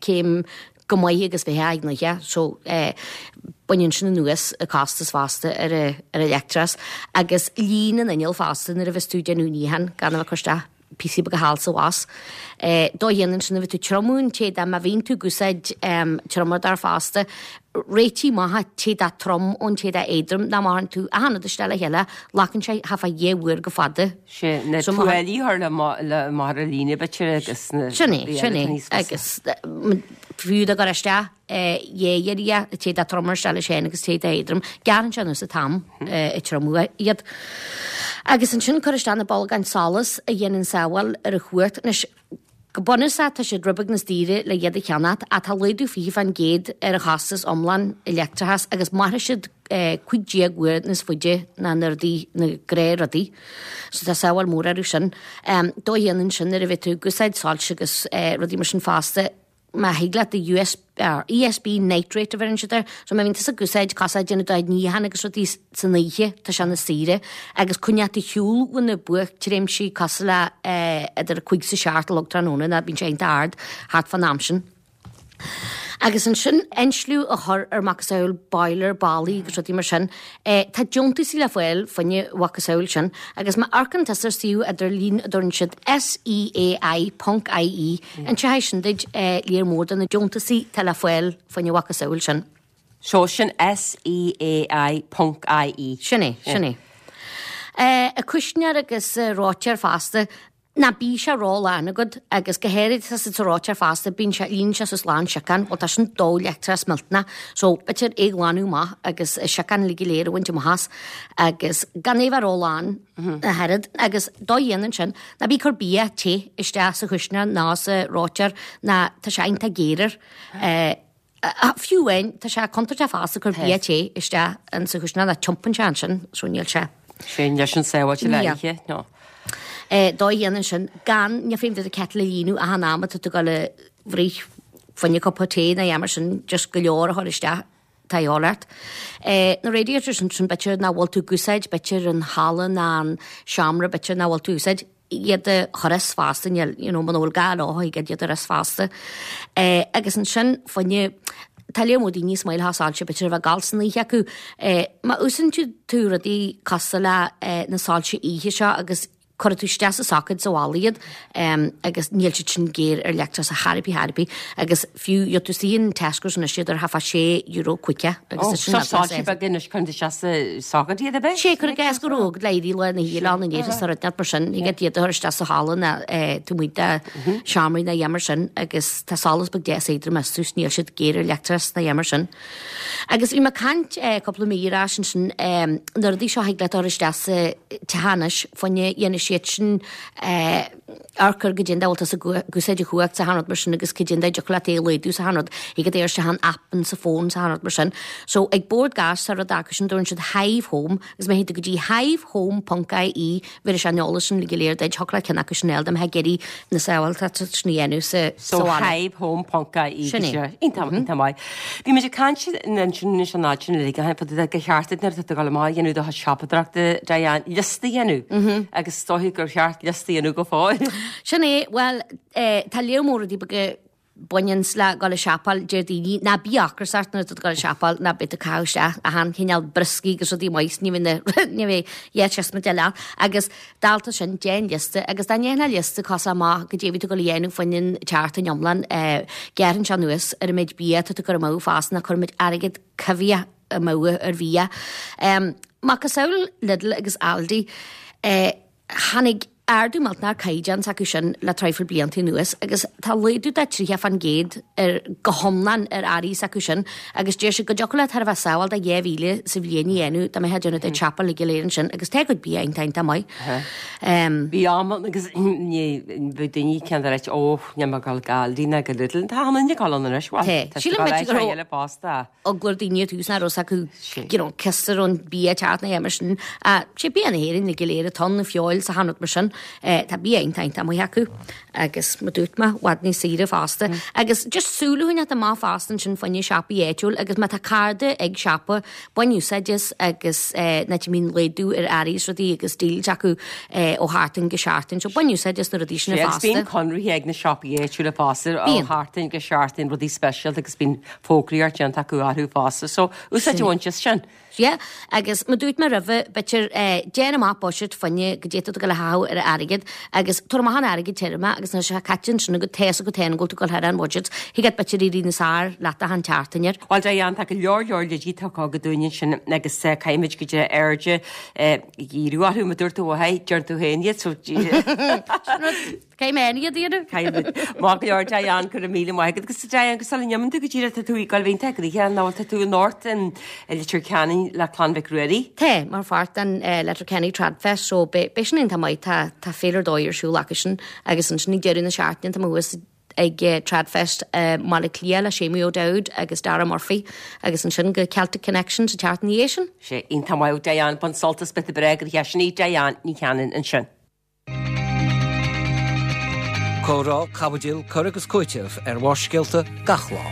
céim go maith agus bheith ag nithe, so baineann sin anuas an costas fosta ar an leictreachas. Agus líon an inneall fosta nuair a bheas tú ag déanamh níocháin gan a bheith ag cur isteach. píosaí beaga thall 's abhus. Dóigh a dhéanann sin a bheith tú triomú an téada, má bhíonn tú ag úsáid triomadóir fosta, réitigh amach an t-éadach trom ón t-éadach éadrom, nó má chuireann tú achan rud isteach le chéile, glacann sé thart fá dhá uair chomh fada. Sé na tuáillí a chur le amach ar an líne b'fhéidir agus na Sin é, sin é. Agus fiú dá gcur isteach dhá iarraidh an t-éadach trom isteach leis féin agus t-éadach éadrom, gearrann sé anuas an t-am ag triomú iad. Agus ansin cur isteach na bolgáin solas a dhéanann sábháil ar an chumhacht. Anois, go bunúsach tá siad rud beag níos daoire le iad a cheannacht ach tá laghdú 20% ar an chostas iomlán i leictreachas agus mairfidh siad 15 uair níos faide ná na rudaí, na gnáthrudaí. So tá sábháil mór orthu sin. Dóigh a dhéanann sin nuair a bheidh tú ag úsáid soilse agus rudaí mar sin fosta, má thig leat do USB, ESB night rate a bheireann siad air, so má bhíonn tusa ag úsáid cosúil déanamh do níochán agus rudaí san oíche, tá sé níos saoire, agus coinneáil tú ar shiúl ó na buaictréimhsí cosúil le idir a 5 's a 7 a chlog tráthnóna, ná bíonn sé iontach ard thart fán am sin. Agus ansin insliú a chur ar macasamhail boiler, ballaí agus rudaí mar sin. Tá deontaisí le fáil fá choinne macasamhail sin agus má amharcann tusa ar suíomh idirlín a dtabharann siad SEAI ponc IE, Inseoidh sin duit léar mór de na deontaisí atá le fáil fá choinne macasamhail sin. So sin SEAI ponc IE. Sin é, sin é. An cuisneoir agus reoiteoir fosta, ná bíodh sé ró-lán agat agus go háirid sa sa reoiteoir fosta, bíonn sé, líonann sé suas lán siocán, bhuel tá sin dó leictreachas millteanach, so b'fhéidir é a ghlanadh amach agus an siocán uilig go léir a bhaint amach as agus gan é bheith ró-lán ach oiread agus dóigh a dhéanann sin, ná bí ag cur bia te isteach sa chuisneoir ná sa reoiteoir ná tá sé iontach géar air. Fiú amháin, tá sé contúirteach fosta cur bia te isteach in sa chuisneoir ná tiompaíonn sé ansin so níl sé. Sin leis an sábháilte le oíche, no. Dóigh a dhéanann sin gan, ní féidir do kettle a líonadh achan am atá tú ag dul a bhruith fá choinne cupa tae nó a dhath mar sin, just go leor a chur isteach. Tá a dhíobháil ort. Na radiators ansin b'fhéidir nach bhfuil tú ag úsáid, b'fhéidir an halla ná an seomra b'fhéidir nach bhfuil tú ag úsáid, iad a chur as fosta, níl, you know, muna bhfuil gá leo, thig iad a chur as fosta. Agus ansin fá choinne, tá léar mór daoine is maith leo soilse b'fhéidir a bheith ag gabháil san oíche acu. Má úsáideann tú rudaí cosúil le na soilse oíche seo agus cuirfidh tú isteach sa socket sa bhalla iad agus níl siad sin géar ar leictreachas ar chor ar bith ar bith agus fiú gheobhaidh tú istigh in Tesco's anois iad ar thart fá €6 caoga agus is sin Seo soilse beaga anois cuireann tú isteach sa socket iad ab é? Sé cuir i gcás go raibh agat le éirí lá na híle ann in Éirinn sa rud mar sin thig leat iad a chur isteach sa halla nó taobh amuigh de seomraí nó a dhath mar sin agus tá solas beag deas éadrom astu níl siad géar ar leictreachas nó a dhath mar sin. Agus bhí mé ag caint cúpla mí ar ais ansin, na rudaí seo a thig leat a chur isteach sa teach anois, fá choinne dhéanfaidh siad sin amharc ar goidé an dóigh a bhfuil tusa ag úsáid an chumhacht 's achan rud mar sin agus goidé an dóigh a dtiocfadh leat é a laghdú 's achan rud, thig leat é a chur isteach in app in sa phone 's achan rud mar sin. So ag Bord Gáis tá rud acu sin, dtabharann siad Hive Home agus má théann tú go dtí hivehome ponc ie bhéarfaidh sé an eolas sin go léir duit, thiocfadh leat ceann acu sin a fháil dá mbeifeá ag iarraidh na sábháilteachta sin a dhéanamh sa So bhaile. hivehome ponc ie Sin é. Iontach, iontach maith. Bhí muid ag caint ansin anois an fhad sin uilig a fá dtaobh de gur cheart duit nuair atá tú ag dul amach a dhéanamh do chuid siopadóireachta Diane, liosta a dhéanamh agus is dóiche gur cheart liosta a dhéanamh go fóill. Sin é, bhuel, tá léar mór rudaí beaga baineanns le dul ag siopáil, deir daoine, ná bí ocrasach nuair atá tú ag dul ag siopáil, ná beidh tú ag caitheamh isteach achan chineál brioscaí agus rudaí maith, ní bheidh na, ní bheidh dhá siosmaid eile ann. Agus dálta sin, déan liosta, agus dá ndéanfá liosta cosúil amach goidé a bhí tú ag dul a dhéanamh fá choinne an tseachtain iomlán, gearrann sé anuas ar an méid bia atá tú ag cur amú fosta, ná cuirimid airgead coimhthíoch amú ar bhia. Macasamhail Lidl agus Aldi, Tháinig ardú millteanach ar caighdeán s'acu sin le traidhfil blianta anuas agus tá laghdú de 30% ar go hiomlán ar earraí s'acu sin agus deir siad go dtiocfadh leat chóir a bheith sábháil de 2,000 sa bhliain a dhéanamh dá mbeifeá ag déanamh do shiopa go léir ansin agus tá a gcuid bia iontach iontach maith. Bhí am ann agus ní bheadh daoine ceann de ráit ó níl mé ag dul go Aldi ná go Lidl. Tá achan duine ag dul ann anois, bhuel tá siad ag dul áit eile fosta. eagla ar daoine ar tús nach raibh acu you know cos ar an bia teacht na mar sin. Sé bia na hÉireann go léir atá ann, na feoil 's achan rud mar sin. Tá bia iontach iontach maith acu agus mar dúirt mé, i bhfad níos saoire fosta. Agus just súil a choinneáilt amach fosta ansin fá choinne siopaí áitiúil agus má tá cairde ag siopa, bain úsáid as agus an áit a mbíonn laghdú ar earraí is rudaí agus deals acu ó sheachtain go seachtain. So bain úsáid as na rudaí sin fosta. Agus bíonn conraithe ag na siopaí áitiúla fosta ó sheachtain go seachtain rudaí speisialta agus bíonn fógraíocht déanta acu orthu fosta. So, úsáid a bhaint as sin. Yeah, agus mar dúirt mé roimhe, b'fhéidir, déan amach buiséad fá choinne goidé atá tú ag dul a chaitheamh ar. ar airgead agus tabhair amach an airgead tirim agus nuair atá sé caite ansin agat tá fhios agat féin go bhfuil tú ag dul thar an bhudget, thig leat b'fhéidir éirí níos fearr leat achan tseachtain air. Bhuel Diane, tá go leor leor leidí tugtha agat dúinn ansin agus caithfimid go dtí airde dhíriú orthu, mar dúirt tú uaidh, déanann tú féin iad so Caithfidh mé iad a dhéanamh. Caithfidh. Maith go leor Diane, go raibh míle maith agat. Agus Diane, go sula n-imíonn tú go díreach, tá tú ag dul a bheith iontach gnoitheach, nó tá tú anocht i Leitir Ceanainn le Clann Mhic Ruairí. Tá, mar pháirt den Letterkenny Tradfest, so beidh sin iontach maith, tá tá féile ar dóigh ar siúl acu sin agus ansin ag deireadh na seachtaine tá mé thuas ag Tradfest i mBaile Átha Cliath le Séamaí O'Dowd agus Dara Murphy agus ansin go Celtic Connection sa tseachtain ina dhiaidh sin. Sé iontach maith Diane, bain sult as bit breá go sin í Diane Ní Chanainn ansin. Comhrá, caibidil, cur agus cúiteamh ar Bharrscéalta gach lá.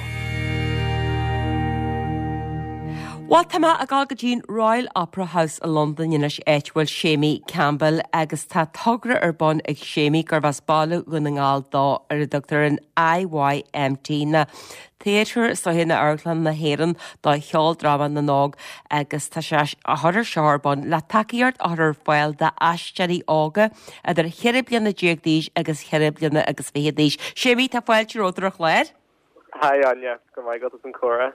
Bhuel, tá mé ag dul go dtí an Royal Opera House i Londain anois, áit a bhfuil Séimí Campbell agus tá togra ar bun ag Séimí gurbh as baile Dhún na nGall dó ar a dtugtar an IYMT, nó Theatre is dóiche nó Amharclann na hÉireann do Cheoldráma na nÓg agus tá sé á chur ar seo ar bun le tacaíocht a chur ar fáil d'aisteoirí óga idir cheithre bliana déag d'aois agus cheithre bliana agus fiche d'aois. Séimí, tá fáilte romhat ar an chlár. Hi Áine, go raibh maith agat as an comhrá.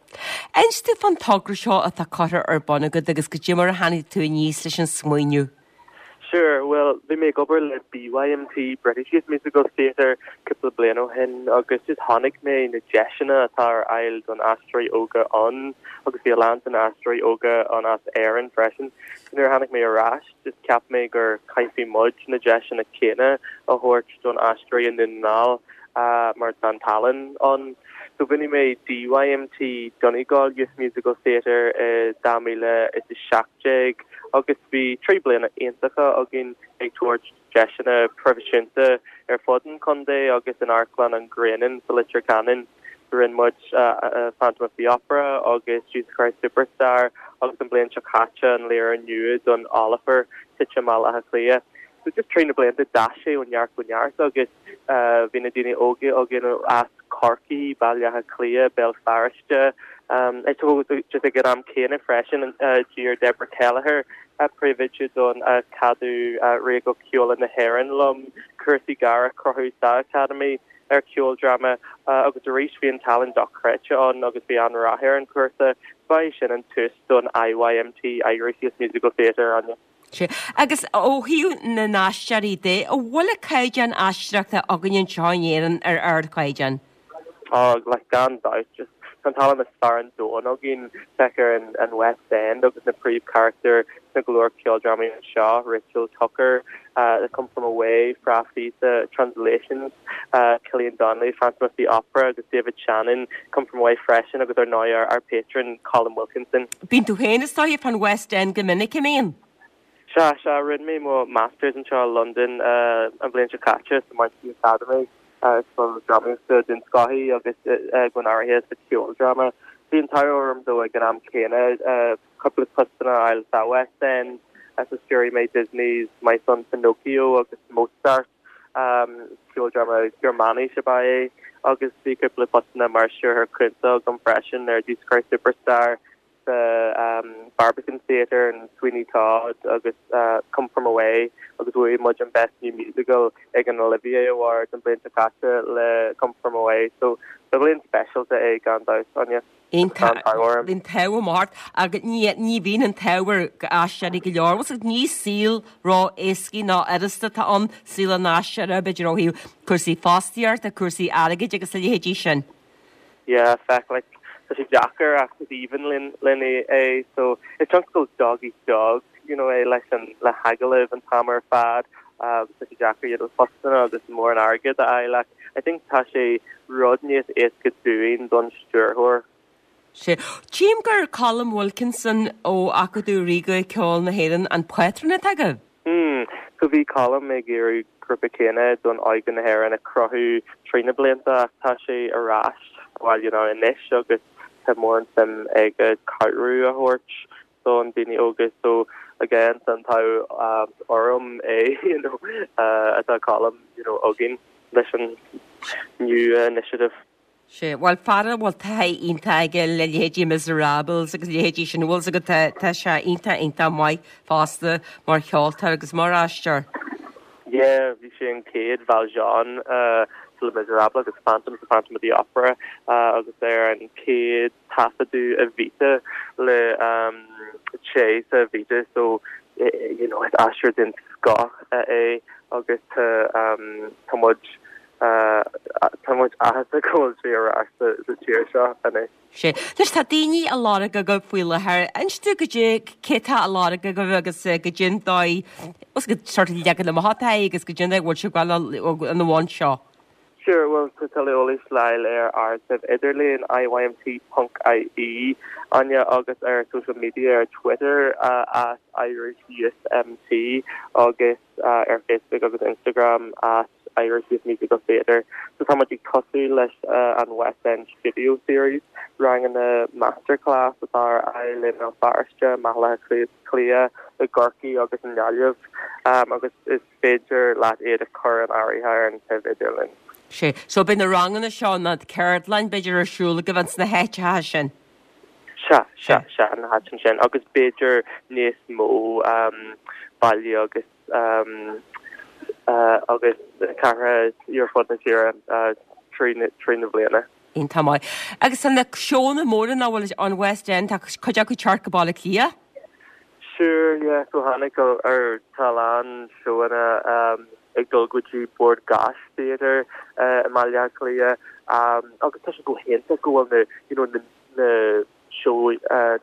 Inis domh fán togra seo atá curtha ar bun agat agus goidé mar a tháinig tú aníos leis an smaoineamh. Sure, bhuel, bhí mé ag obair le BYMT, British Youth Musical Theatre, cúpla bliain ó shin agus just chonaic mé na deiseanna atá ar fháil don aisteoirí óga ann agus bhí a lán de na aisteoirí óga ann as Éirinn freisin. So nuair a tháinig mé ar ais, just cheap mé gur caithfidh muid na deiseanna céanna a thabhairt don aisteoirí i nDún na nGall mar tá an tallann ann. So bhunaigh mé DYMT, Donegal Youth Musical Theatre, i 2017 agus bhí 3 bliana iontacha againn ag tabhairt deiseanna proifisiúnta ar fud an chontae agus in Amharclann an Ghrianáin sa Leitir Ceanainn. So rinne muid Phantom of the Opera agus Jesus Christ Superstar agus an bhliain seo caite an léiriú nua don Oliver, Titim Bhaile Átha Cliath. So just trí na blianta d'fhás sé ó neart go neart agus bhí na daoine óga againn as Corcaigh, Baile Átha Cliath, Béal Feirste, just ag an am céanna freisin d'iarr Deborah Kelleher, príomhoide don Acadamh Ríoga Ceoil na hÉireann liom cúrsaí gearra a chruthú sa Academy ar cheoldráma agus arís bhí an tallann dochreidte ann agus bhí an-rath ar an chúrsa. Ba é sin an tús don IYMT, Irish Youth Musical Theatre, Áine. Sea. Agus ó thaobh na n-aisteoirí de, an bhfuil an caighdeán aisteoireachta againn anseo in Éirinn ar ardchaighdeán? Á, like, gan dabht. Just, tá an tallann is fearr an domhan againn. Féach ar an, an West End agus na príomhcharachtair sna go leor ceoldrámaí anseo, Rachel Tucker, uh, Come From Away, Fra Fee sa Translations, uh, Killian Donnelly, Phantom of the Opera agus David Shannon, Come From Away freisin agus ar ndóigh ár, ár patron Colm Wilkinson. Bíonn tú féin is dóiche fán West End go minic, an mbíonn? Sea, sea, rinne mé mo Masters anseo i Londain an bhliain seo caite sa Mountview Academy, scoil drámaíochta den scoth í agus go háirithe sa cheoldráma. Bhí an t-ádh orm dó ag an am céanna cúpla postanna a fháil sa West End, so stiúraigh mé Disney's My Son Pinocchio agus Mozart, ceoldráma Gearmáinis ab ea é, agus bhí cúpla postanna mar stiúrthóir cúnta agam freisin ar Jesus Christ Superstar, sa Barbican Theatre and Sweeney Todd agus Come From Away agus bhuaigh muid an Best New Musical ag an Olivier Awards an bhliain seo caite le Come From Away so ba bhliain speisialta é gan dabht, Áine. Iontach. Tá an t-ádh orm. Bhí an t-ádh amach ort agus ní ní bhíonn an t-ádh ar aisteoirí go leor. Bhfuil ní saol ró-éascaí ná fhurasta atá ann, saol an aisteora, b'fhéidir ó thaobh cúrsaí fostaíochta, cúrsaí airgid agus a leithéidí sin. Yeah, feck, like, tá sé deacair ach is aoibhinn linn, linn é, so is tionscal dog eat dog, you know, é leis an, le hagallaimh an t-am ar fad agus tá sé deacair, you know, postanna agus mórán airgead a fháil ach I think tá sé rud níos éasca dúinn don stiúrthóir. Sea. Tchím gur Colm Wilkinson ó Acadamh Ríoga Ceoil na hÉireann an pátrún atá agaibh. Hmm. So bhí Colm ag iarraidh grúpa céanna don óige na hÉireann a chruthú trí na blianta ach tá sé ar ais bhuel you know anois agus tá mórán suim aige cabhrú a thabhairt don daoine óga so again tá an t-ádh orm é you know atá Colm you know againn leis an new initiative. Sea, bhuel, fear a bhfuil taithí iontach aige le leithéidí Miserables agus leithéidí sin, bhfuil 's agat, tá, tá sé iontach, iontach maith fosta mar cheoltóir agus mar aisteoir. Yeah, bhí sé an chéad Valjean sa Les Miserables agus Phantom sa Phantom of the Opera agus ar an chéad taifeadadh Evita le rté sa Evita so you know is aisteoir den scoth é agus tá tá muid tá muid áthasach go bhfuil sé ar ais sa tír seo anois. Sea. Anois tá daoine á lorg agaibh faoi láthair. Inis dúinn goidé cé tá á lorg agaibh agus goidé an dóigh, agus go sort of leagan amach atá é agus goidé an dóigh a bhfuil sibh ag gabháil ina bhun seo. Sure, bhuel tá tuilleadh eolais le fáil ar ár suíomh idirlíon iymt ponc ie, Áine, agus ar social media ar Twitter at Irish Youth MT agus ar Facebook agus Instagram at Irish Youth Musical Theatre. So tá muid ag tosú leis an West End Studio Series, ranganna masterclass atá ar fáil i mBéal Feirste, i mBaile Átha Cliath, i gCorcaigh agus i nGaillimh agus is féidir leat iad a chur in áirithe ar an suíomh idirlín. Sea. So beidh na ranganna seo, na ceardlann b'fhéidir ar siúl agaibh ins na háiteacha sin? Sea, sea, sea, na háiteanna sin agus b'fhéidir níos mó baile agus agus cathracha ar fud na tíre trí na bliana. Iontach maith. Agus tá na seónna móra nach bhfuil an West End, tá cuid acu ag teacht go Baile Átha Cliath? Sure, yeah, so tháinig ar tá a lán seóanna ag dul go dtí Bord Gáis Theatre i mBaile Átha Cliath agus tá sé go hiontach go bhfuil na, you know, na, na seó,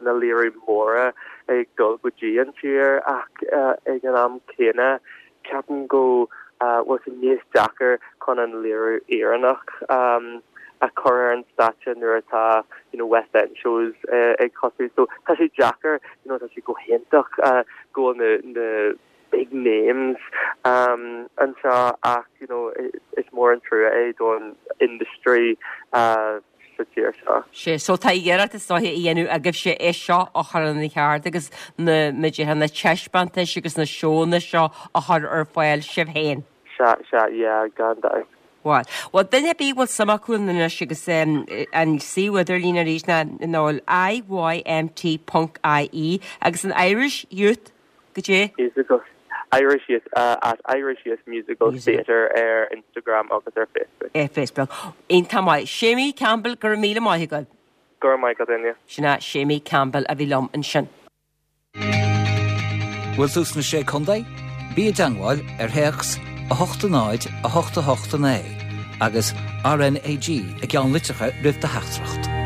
na léiriú móra ag dul go dtí an tír ach ag an am céanna ceapaim go bhfuil sé níos deacair chun an léiriú Éireannach a chur ar an stáitse nuair atá you know West End shows ag tosú so tá sé deacair you know tá sé go hiontach go bhfuil na na big names anseo ach you know is mór an trua é don industry sa tír seo. Sea, so tá iarracht is dóiche á dhéanamh agaibhse é seo a chur ina cheart agus na, mar a déarfá, na taispeántais agus na seónna seo a chur ar fáil sibh féin. Sea, sea, yeah, gan dabht. Bhuel, bhuel, duine ar bith a bhfuil suim acu ann anois agus an suíomh idirlín arís ná, ná IYMT ponc IE agus an Irish Youth Goidé? Musical Irish Youth at Irish Youth Musical Theatre ar Instagram agus ar Facebook. Ar Facebook. Iontach maith. Séimí Campbell, go raibh míle maith agat. Go raibh maith agat, Áine. Sin é Séimí Campbell a bhí liom ansin. Bhfuil tú sna Sé Contae? Bí i dteangmháil ar théacs 8 0 8 8 9 agus RNAG i gceannlitreacha roimh do theachtaireacht.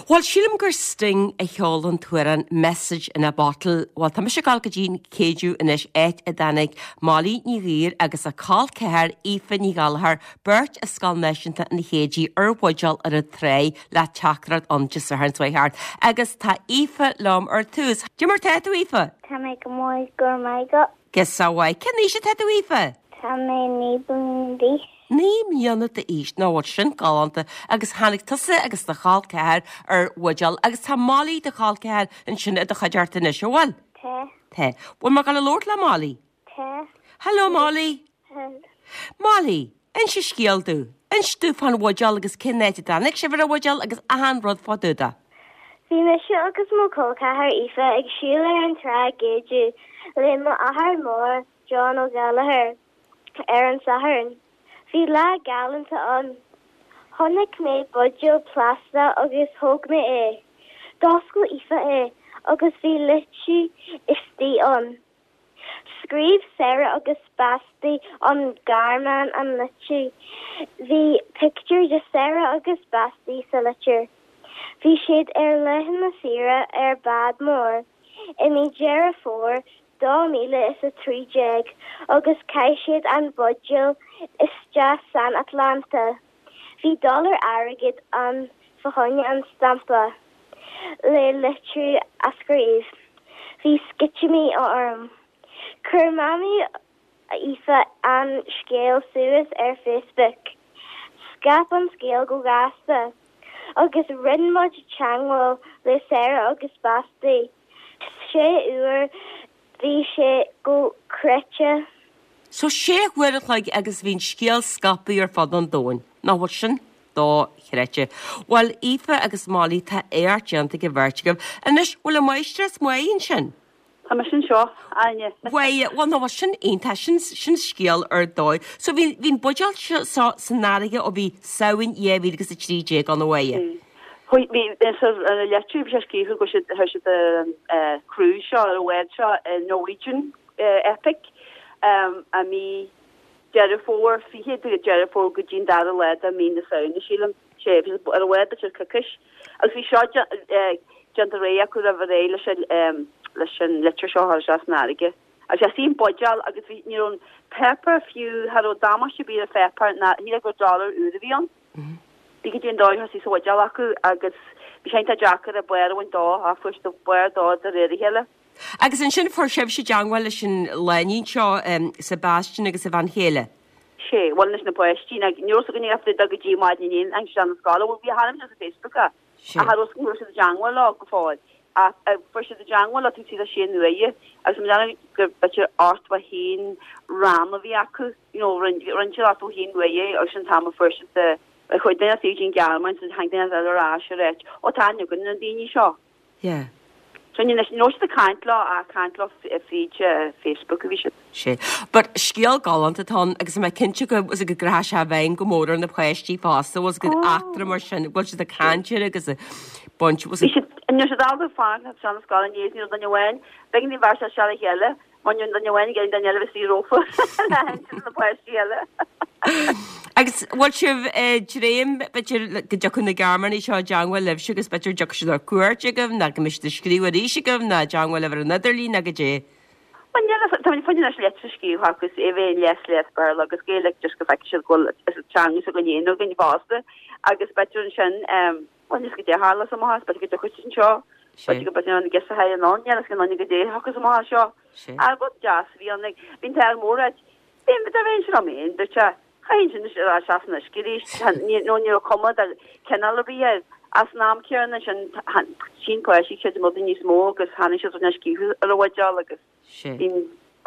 Bhuel, sílim gur Sting a cheol an t-amhrán 'Message in a Bottle'. Bhuel, tá mise ag dul go dtí an Céideadh anois, áit a dtáinig Molly Ní Ghaoir agus a col ceathar Aoife Ní Ghallchóir, beirt as Scoil Náisiúnta an Chéidigh ar bhuidéal ar an tráigh le teachtaireacht ann Dé Sathairn seo thart. Agus tá Aoife liom ar tús. Cad é mar tá tú, Aoife? Tá mé go maith, go raibh maith agat. Go maith. Cén aois atá tú, Aoife? Tá mé 9 bliana d'aois. 9 mbliana d'aois, nach bhfuil sin galánta, agus tháinig tusa agus do chol ceathar ar bhuidéal agus tá Molly do chol ceathar ansin i do chuideachta anois, an bhfuil? Tá. Tá. Bhfuil mé ag dul a labhairt le Molly? Tá. Hello Molly. Hello. Molly, inis scéal domh. Inis domh fán bhuidéal agus cén áit a dtáinig sibh ar an bhuidéal agus achan rud fá dtaobh de. Bhí mise agus mo chol ceathar Aoife ag siúl ar an trá i gCéideadh le m'athair mór John Ó Gallchóir. Ar an Satharn, bhí lá galánta ann. Chonaic mé buidéal plaisteach agus thóg mé é. D'oscail Aoife é agus bhí litriú istigh ann. Scríobh Sarah agus Basti ón Ghearmáin an litriú. Bhí pictiúr de Sarah agus Basti sa litir. Bhí siad ar laethanta saoire ar bád mór i mí Deireadh Fómhair 2013 agus chaith siad an buidéal isteach san Atlantach. Bhí dollar airgid ann fá choinne an stampa le litriú a scríobh. Bhí sceitimíní orm. Chuir Mamaí Aoife an scéal suas ar Facebook. Scaip an scéal go gasta agus rinne muid teagmháil le Sarah agus Basti. Sé uair bhí sé dochreidte. So sé huair an chloig agus bhí an scéal scaipthe ar fud an domhain. Nach bhfuil sin dochreidte. Bhuel, Aoife agus Molly, tá éacht déanta ag an bheirt agaibh. Anois, bhfuil an mháistreás maith ansin? Tá mise anseo, Áine. Bhuel, bhuel, nó sin iontach, sin, sin scéal ar dóigh. So bhí, bhí an buidéal seo san fharraige ó bhí Samhain 2013 ann, a Mháire. Bhí, bhí, sa litir bhí sé scríofa go raibh siad, chuir siad ar an cruise seo, ar an bhád seo, Norwegian Epic, i mí Deireadh Fómhair, 20 de Deireadh Fómhair go dtí an dara lá de mí na Samhna, sílim. Sé, bhí siad ar an bhád b'fhéidir coicís. Agus bhí seo déanta réidh acu roimh ré leis an leis an litir seo a chur isteach san fharraige. Agus bhí an buidéal agus bhí ní raibh an páipéar fiú, cha raibh damáiste ar bith ar an pháipéar ná shílfeá gur dollar úr a bhí ann. Bhí goidé an dóigh a thosaigh sa bhuidéal acu agus bhí sé iontach deacair an barr a bhaint dó ach fuair siad an barr dó de réir a chéile. Agus ansin fuair sibhse teangmháil leis an lánúin seo, Sebastian agus a bhean chéile. Sé, bhuel anois na páistí, ní raibh fhios againn ach go dtí maidin inné, tháinig siad na scoile, bhuel bhí a hainm ar Facebook ach cha raibh fhios againn go raibh siad i dteangmháil leo go fóill. Ach fuair siad i dteangmháil leo taobh istigh de sé uaire agus mé ag déanamh gur b'fhéidir 81 rann a bhí acu, you know, rinne siad 81 uaire agus sin an t-am a fuair siad de, chuaigh duine acu go dtí an Ghearmáin so tháinig duine eile ar ais ag ráit, ó tá aithne againn ar na daoine seo. Yeah. So ní raibh siad ag caint leo ach caint leo fríd Facebook a bhí siad. Sé. But scéal galánta atá ann agus tá mé cinnte go is go gcrochfaidh sé i bhfeidhm go mór ar na páistí fosta bhfuil go eachtra mar sin bhfuil siad ag caint air agus ag baint Bhí siad ní raibh siad ábalta fanacht anseo na scoile inné ní raibh duine amháin b'éigean dúinn bheith isteach le chéile Mar ní raibh duine amháin ag iarraidh duine eile a bheith istigh rófa le hinse do na páistí eile. Agus bhfuil sibh ag dréim b'fhéidir go dtiocfadh na Gearmánaigh seo i dteangmháil libhse agus b'fhéidir dtiocfaidh siad ar cuairt chugaibh nó go mbeidh siad ag scríobh arís chugaibh nó i dteangmháil libh ar an idirlíon nó goidé? Bhuel níl a fhios, tá muid anois litir a scríobh chucu is é bheith in léas léas Béarla agus Gaeilge just go bhfeicfidh siad go bhfuil teanga s'againn féin againn fosta agus b'fhéidir ansin Bhuel, níl a fhios goidé a tharlós amach as, b'fhéidir go dtiocfaidh siad anseo, b'fhéidir go b'fhéidir an giosa thar an ann, níl a fhios ag aon duine goidé a thiocfas amach as seo. Ach rud deas a bhí ann, like, bhí an t-ádh mór ait, bhí, dá bheinn sin liom féin, dúirt sé, chaithfinn sin ar ais as an uisce arís, nó ní raibh cuma de chineál ar bith air. Ach san am céanna sin, shíl na páistí, creidim rudaí níos mó agus tháinig siad rud scríofa ar an bhuidéal agus. Sé.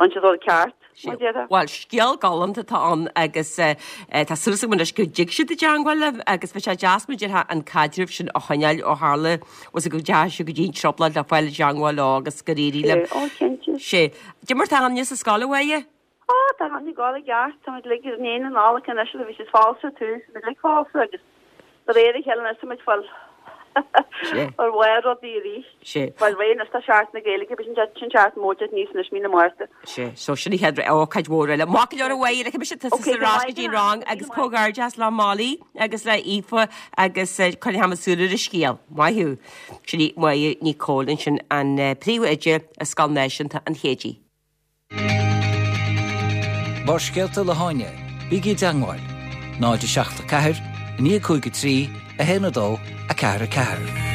An siad rud ceart, mar déarfá. Bhuel, scéal galánta atá ann agus tá súil agam anois go dtig siad i dteangmháil libh agus bheadh sé deas mar a déarfá an caidreamh sin a choinneáil ó tharla bhfuil go dteachaigh sibh go dtí an trioblóid le fáil i dteangmháil leo agus gur éirigh libh. Sé, ó cinnte. Sé. Cad é mar tá Áine sa scoil a Mháire? Ó, tá Áine ag gabháil i gceart, táimid uilig i ndiaidh na Nollag anois agus bhí siad falsa ar tús, táimid uilig falsa agus De réir a chéile anois táimid fáil ar bharr rudaí arís. Sé. Fáil réidh anois do Seachtain na Gaeilge, b'shin sin seachtain mhór de níos anois mí na Márta. Sé. So sin an chéad ócáid mhór eile. Maith go leor a Mháire, ligfidh mise tusa Ok, ar ais go dtí an rang agus comhghairdeas le Molly agus le Aoife agus coinneoidh muid súil ar an scéal. Maith thú. Sin í Máire Ní Chomhaill ansin an príomhoide i Scoil Náisiúnta an Chéidigh. Barrscéalta le hÁine, bígí i dteangmháil, 0 7 4 9 5 3 1 2 4 4.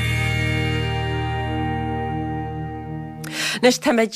Anois táimid,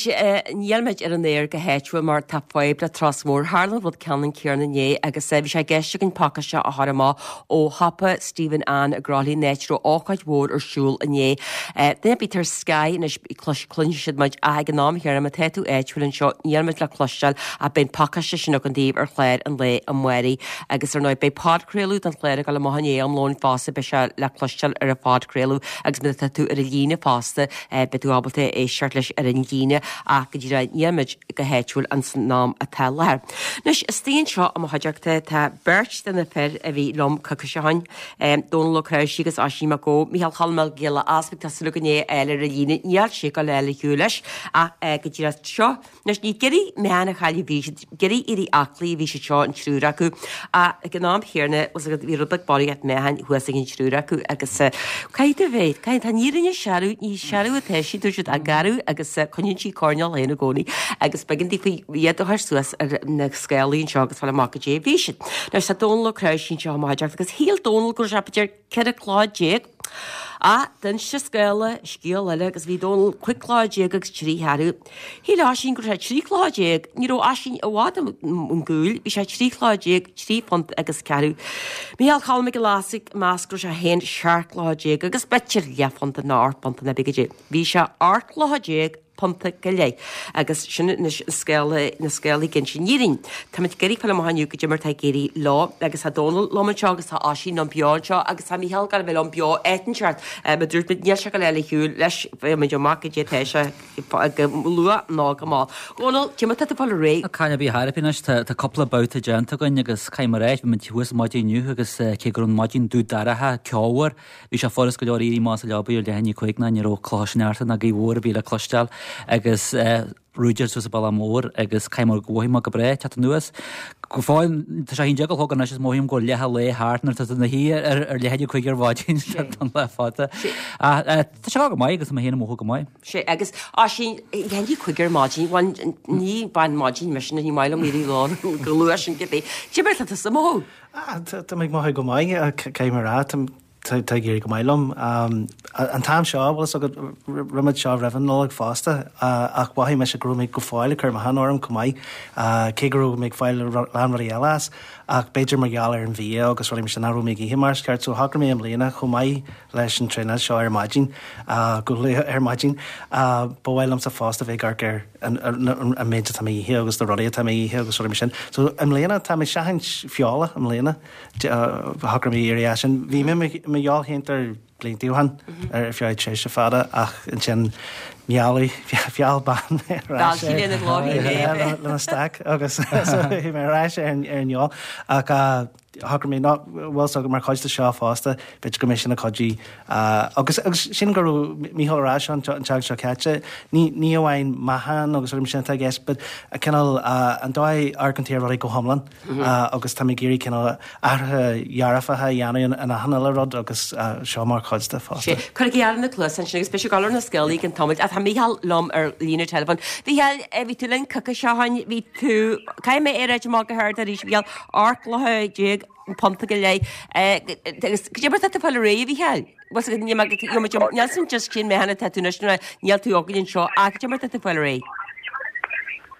nílimid ar an aer go háitiúil mar tá fadhb le turas mór. Tharla an rud ceannann céanna inné agus bhí sé i gceist againn pacáiste a chur amach ó shiopa Stephen Ann i gCroithlí an áit a raibh ócáid mhór ar siúl inné. Duine ar bith ar Sky anois cluinfidh siad muid ach ag an am chéanna má tá tú áitiúil anseo níl muid le cloisteáil ach beidh an pacáiste sin againn daoibh ar chlár an lae amáirigh agus ar ndóigh beidh podchraoladh den chlár ag dul amach i ndiaidh am lóin fosta beidh sé le cloisteáil ar an phodchraoladh agus má tá tú ar an líne fosta beidh tú ábalta éisteacht leis ar an líne ach go díreach níl muid go háitiúil an am atá i láthair. Anois istigh anseo i mo chuideachta tá beirt de na fir a bhí liom coicís ó shin. Dónal Ó Cnáimhsí agus Oisín Mac Gó, Micheál Cholm Mac Giolla Easpaig, tá súil againn é a fháil ar an líne, níl sé ag dul a fháil ar shiúl leis ach go díreach seo. Anois ní ag iarraidh meáchan a chailleadh a bhí siad, ag iarraidh éirí aclaí a bhí siad seo, an triúr acu, ach ag an am chéanna, bhfuil 's agat, bhí rud beag barraíocht meáchain thuas ag an triúr acu agus caithfidh tú a bheith, caithfidh, tá an fhírinne searbh, ní searbh atá sí, dúirt siad, ach garbh agus coinníonn sí coirnéal féin i gcónaí agus b'éigean daofa iad a chur suas ar na scálaí anseo agus fáil amach goidé a bhí siad. Anois tá Dónal Ó Cnáimhsí anseo i mo chuideachta agus shíl Dónal go raibh sé b'fhéidir 14 cló. Ach d'inis an scála scéal eile agus bhí Dónal 15 cló agus 3 cheathrú. Shíl Oisín go raibh sé 13 cló. Ní raibh Oisín i bhfad ón gcúl, bhí sé 13 cló, 3 phunt agus ceathrú. Micheál Cholm Mac Giolla Easpaig ag meas go raibh sé féin 17 cló agus b'fhéidir leathphunta nó 8 bpunta nó cibé goidé. Bhí sé 18 cló. Punta go leith. Agus sin anois an scéal, na scéalaí ag inse an fhírinne. Táimid ag iarraidh fáil amach inniu goidé mar atá ag éirí leo agus tá Dónal liom anseo agus tá Oisín liom beo anseo agus tá Mícheál ag gabháil a bheith liom beo áit inteacht. Mar dúirt muid níl sé ag gabháil ar shiúl leis, faighidh muid amach goidé atá sé go luath nó go mall. Dhónal, cé mar tá tú ag fáil ar aghaidh? Caithfidh mé a bheith thar anois, tá cúpla babhta déanta againn agus caithfidh mé a rá, bhí muid thuas ar maidin inniu agus cé go raibh an maidin dubh dorcha, ceomhar, Bhí sé furast go leor éirí amach as an leabaidh ar leath i ndiaidh 5 ná ní raibh clocha sneachta ná gaoth mhór ar bith le cloisteáil agus rúideáil suas an bealach mór agus caithfidh mé go mhothaigh mé go breá teacht anuas. Go fóill tá sé 11 a chlog anois is mothaím go bhfuil leath an lae thart nuair atá tú ina shuí ar leath i ndiaidh 5 ar maidin don lá fada. Ach tá sé go maith agus tá mé féin ag mothú go maith. Sé agus Oisín, leath i ndiaidh 5 ar maidin, bhuel ní bean maidin mise ní maith liom éirí go luath sin cibé. Cé mar atá tusa ag mothú? Tá mé ag mothú go maith, caithfidh mé a rá. Tá ag éirí go maith liom. An t-am seo, bhfuil fhios agat, rinne muid seo roimh an Nollaig fosta, ach mhothaigh mise go raibh mé go fóill ag cur meáchan orm chomh maith, cé go raibh mé ag fáil a lán rudaí eile as, ach b'fhéidir mar gheall ar an bhia agus rudaí mar sin nach raibh mé ag ithe mar is ceart. So shocraigh mé i mbliana chomh maith leis an traenáil seo ar maidin, go luath ar maidin, ba mhaith liomsa fosta bheith ag amharc ar an méid atá mé ag ithe agus na rudaí atá mé ag ithe agus rudaí mar sin. So i mbliana tá mé ag seachaint feola i mbliana. Shocraigh mé éirí as sin. Bhí mé i mo fheoilséantóir blianta ó shin ar feadh tréimhse fada ach ansin mealladh, mheall bean mé ar ais lena steak agus bhí mé ar ais ar an fheoil ach shocraigh mé ná bhfuil fhios agat mar chuid de seo fosta b'fhéidir go mbeidh sin ag cuidiú agus agus sin go raibh Mícheál ar ais an tseachtain seo caite ní ní amháin meáchan agus rudaí mar sin atá i gceist but cineál an dóigh a amharcann tú ar rudaí go hiomlán. agus tá mé ag iarraidh cineál athruithe dearfacha a dhéanamh in achan uile rud agus seo mar chuid de fosta. Sé, cuirigí aire na cluasa ansin agus beidh sé ag dul ar na scéalaí i gcionn tamaill. Ach tá Mícheál liom ar líne teileafóin. Mhícheáil, bhí tú linn coicís ó shin, bhí tú, caithfidh mé é a ráit amach go hard arís, Mhícheál, 18 gcloiche punta go leith. Agus cad é mar tá tú ag fáil ar aghaidh, a Mhícheáil? Bhfuil fhios agat, níl mé, níl san just cén meáchan atá tú anois nuair níl tú againn anseo ach cad é mar tá tú ag fáil ar aghaidh?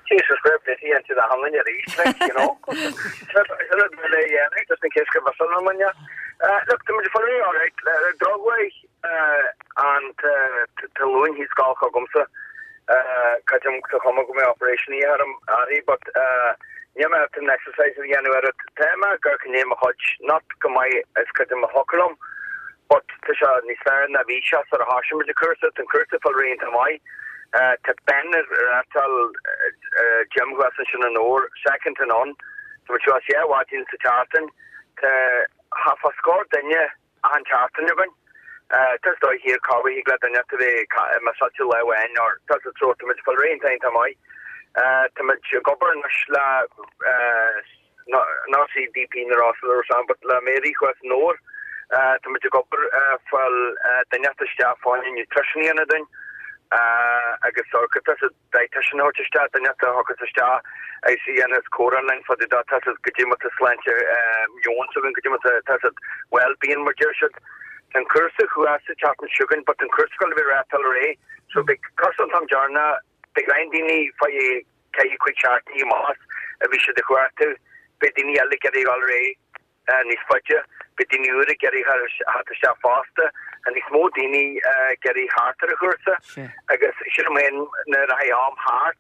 Jesus fair play to you the hanlon arís like you know. Sin rud le dhéanamh just in case go bhfios an muine. Look tá muid ag fáil ar aghaidh alright drochmhaith an t-luain thíos gal chugamsa creidim sa chuma go mbeidh operation a dhéanamh orm uirthi but níl mé ábalta an exercise a dhéanamh ar it. Tá mé ag amharc i ndiaidh mo chuid, not go maith is creidim a thiocfadh liom but tá sé níos fearr ná bhí sé sar a thoisigh muid an cúrsa. Tá an cúrsa ag fáil ar aghaidh iontach maith. Tá Ben ag reáchtáil gym thuas ansin i nDobhar, second to none. Tá muid thuas dhá mhaidin sa tseachtain. Tá thart fá scór duine achan tseachtain againn. Tá is dóigh thiar corruair thig le duine a bheith missáilte lá amháin or tá sa treo tá muid ag fáil ar aghaidh iontach iontach maith. Tá muid ag obair anois le not CDP na Rosa le Rosanne but le Mary thuas i nDobhar. Tá muid ag obair fáil duine isteach fá choinne nutrition a dhéanamh dúinn agus tá sa dietitian a thabhairt isteach, duine a thiocfas isteach agus a dhéanfas comhrá linn fá dtaobh de, tá fhios agat goidé mar tá sláinte meoin s'againn, goidé mar tá tá fhios agat well-being mar deir siad. Tá an cúrsa thuas sa tseachtain seo chugainn but tá an cúrsa ag dul a bheith reáchtáil ar aghaidh so beidh cúrsa an t-am deireanach, beidh roinnt daoine fá cheithre chúig seachtainí amach as a bhí siad ag cuartú, beidh daoine eile ag iarraidh a dhul ar aghaidh. níos faide. Beidh daoine úra ag iarraidh theacht isteach fosta. Tá níos mó daoine ag iarraidh theacht ar an chúrsa agus sílim féin nuair a rachaidh am thart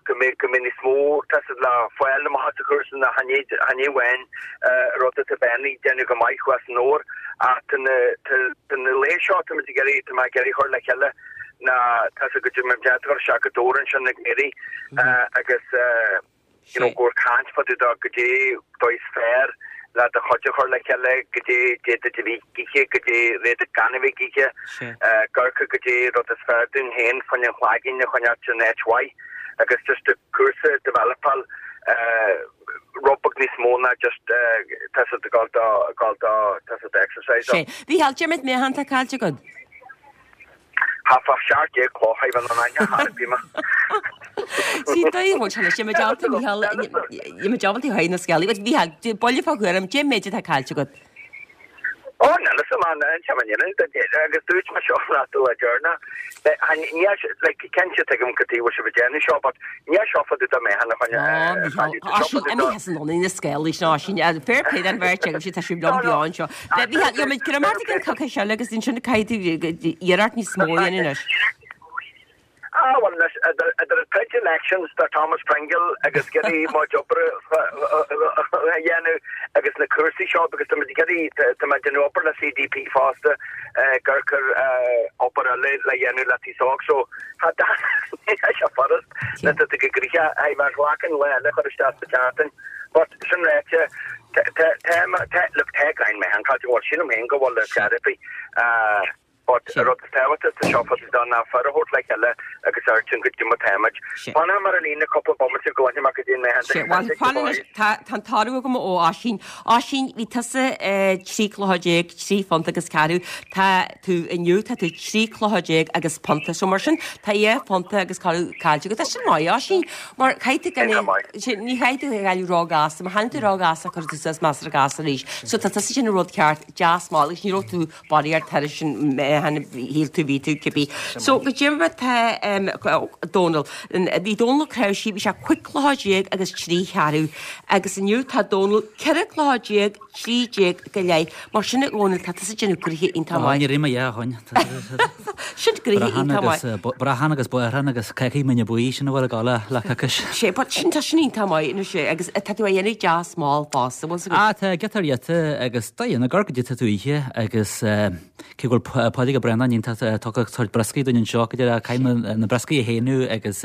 go mbeidh go mbeidh níos mó tá fhios agat le fáil amach as an chúrsa ná chan é amháin rud atá Ben ag déanamh go maith thuas i nDobhar ach tá na tá na laetha seo tá muid ag iarraidh tá mé ag iarraidh chur le chéile ná tá fhios agat go mbeidh muid ag dul isteach go Dobhar ansin ag Mary agus you know, gur caint fá dtaobh de goidé dóigh is fearr le do chuid a chur le chéile, goidé d'fhéadfadh a bheith ag ithe, goidé d'fhéadfadh gan a bheith ag ithe, amharc goidé rud is fearr dúinn féin fá choinne an cloigeann a choinneáilt in áit mhaith agus just an cúrsa developáil rud beag níos mó ná just tá fhios agat ag dul do, ag dul do, tá fhios agat exercise. Sé. Mhícheál, cé mhéad meáchan atá caillte agat? Thart fá 17 cloch a bheith in aithne thar a bhí mé. Sí dóigh bhfuil sé leis, muid ábalta Mícheál, muid ábalta a thabhairt na scéalaí, but Mhícheál, buille fá thuairim, cé méid atá caillte agat? Ó, níl fhios a'm, an té mar agus dúirt mé seo leat an lá deireanach, níl, like, cinnte tuigim cad chuige a bhfuil sibh ag déanamh seo, but níl seo fá dtaobh de meáchan a choinne, Ó, Mícheál, Oisín, imithe as an ionadh na scéalaí sin, Oisín, fair play don bheirt agaibh, tá sibh liom beo anseo. Mhícheál, gheobhaimid greim ort i gcionn coicíse eile agus ansin caithfidh tú iarracht níos mó a dhéanamh anois. Ah, bhuel anois, idir an troid elections do Thomas Pringle agus ag iarraidh mo chuid oibre a dhéanamh agus na cúrsaí seo because tá muid ag iarraidh, tá mé ag déanamh obair le CDP fosta gur cur obair eile le dhéanamh le taos óg so tá tá sé furast na tá go gnoitheach hei mar ghlacann lá eile chur isteach sa tseachtain but sin ráite tá tá tá look tá grind mé an caillte bhfuil sílim féin go bhfuil le therapy But an rud is tábhachtaí sa seo fós ná fir a thabhairt le chéile agus a fheirteann go dtí mar táimid. Fanfaidh mé ar an líne cúpla bomaite go gcluinfidh mé go dtí an mbeidh Sea, bhuel, fan anois, tá an toradh agam ó Oisín. Oisín, bhí tusa 13 chluiche, 3 phunt agus ceathrú. Tá tú inniu, tá tú 13 chluiche agus punta. So mar sin, tá 2 phunta agus ceathrú caillte agat. Tá sin maith, Oisín, mar caithfidh tú gan é, ní chaithfidh tú a ghailleadh ró-ghasta. Má tháinig tú ró-ghasta, cuirfidh tú suas measartha gasta arís. So tá tusa ag déanamh an rud ceart, deas mall agus ní raibh tú Barraíocht thairis sin shíl tú bhí tú cibé. So go dté mar tá Dónal. Bhí Dónal Ó Cnáimhsí, bhí sé 15 cluiche agus 3 cheathrú agus inniu tá Dónal 14 cluiche 13 go leith. Mar sin a Dhónaill tá tusa ag déanamh gnoithe iontach maith. Ní raibh mé a shoin. Sin gnoithe iontach maith. Brachán agus bodhrán agus cácaí mine buí sin a bhfuil ag dul le coicís. Sé but sin tá sin iontach maith anois é agus tá tú á dhéanamh deas mall fosta bhfuil 's agat. Ah tá giota ar ghiota agus dá dhéanamh gur go dtí tú oíche agus cé go bhfuil Pádraig Ó Braonáin iontach tugtha sórt brioscaí dúinn anseo go deireadh caithfidh mé na brioscaí a shéanadh agus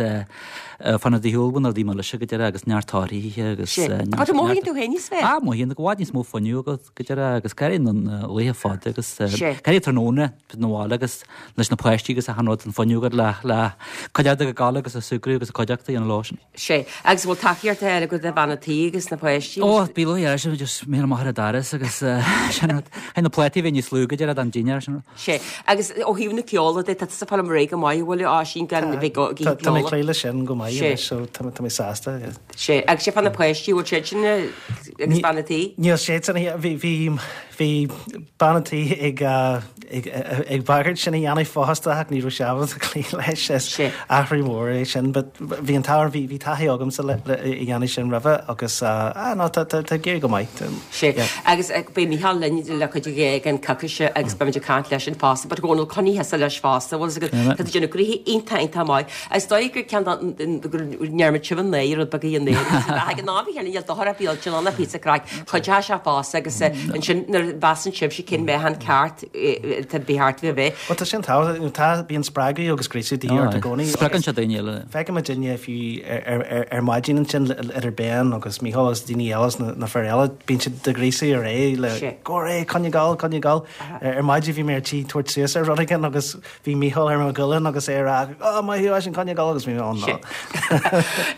fanacht ar shiúl na rudaí milse go deireadh agus neart torthaí agus Sé. But an mothaíonn tú féin níos fearr? Ah mothaíonn go bhfad níos mó fuinneamh agat go deireadh agus go na laethe fada agus go tráthnóna na bhaile agus leis na páistí agus achan rud an fuinneamh agat le le cuid acu ag gabháil agus ag súgradh agus ag cuideachta a dhéanamh leo sin. Sé. Agus bhfuil tacaíocht eile agat ó bhean a' tí agus na páistí? Ó, bí luath air sin, just mé amach ar an doras agus sin rud. Thaithin na plátaí a bheith níos lú go deireadh don dinnéar sin rud. Sé. Agus ó thaobh na ceola de, tá tusa ag fáil ar aghaidh go maith, an bhfuil, Oisín, gan a bheith ag Tá tá mé ag cloí leis sin go maith anois so tá mé sásta. Sé. Agus sé fá na páistí, bhfuil siad sin agus bean a' tí? Níl siad sin, bhí bhí bhí bean a' tí ag ag ag bagairt sin a dhéanamh fosta ach ní raibh sé ábalta cloí leis. Is athrú mór é sin but bhí an t-ádh bhí bhí taithí agamsa le le a dhéanamh sin roimhe agus ah no tá tá tá ag éirí go maith. Sé. Agus beidh Mícheál linn le cuid de den coicíse agus beimid ag caint leis sin fosta but Dhónal coinnigh thusa leis fosta bhfuil 's agat tá tú ag déanamh gnoithe iontach iontach maith. Is dóigh gur ceann de go ndearmad sibh an naoi rud beag a dhéanamh. Ag an am bhí níl dochar ar bith an píosa craic cuideoidh sé fosta agus ansin nuair a mheasann sibhse cén meáchan ceart tá ba cheart a bheith. Bhuel tá sin tábhachtach, tá bíonn spreagadh agus gríosadh de dhíth ort i gcónaí. Spreagann sé daoine eile. Feicim muidinne fiú ar maidin ansin idir Ben agus Mícheál agus daoine eile is na fir eile, bíonn siad do ghríosadh ar aghaidh le go ar aghaidh, coinnigh ag gabháil, coinnigh ag gabháil. Ar maidin bhí mé ar tí tabhairt suas ar rud éigin agus Bhí Mícheál ar mo ghualainn agus é ag rá, Ó, maith thú, Oisín, coinnigh ag gabháil agus bhí mé, Ó, no.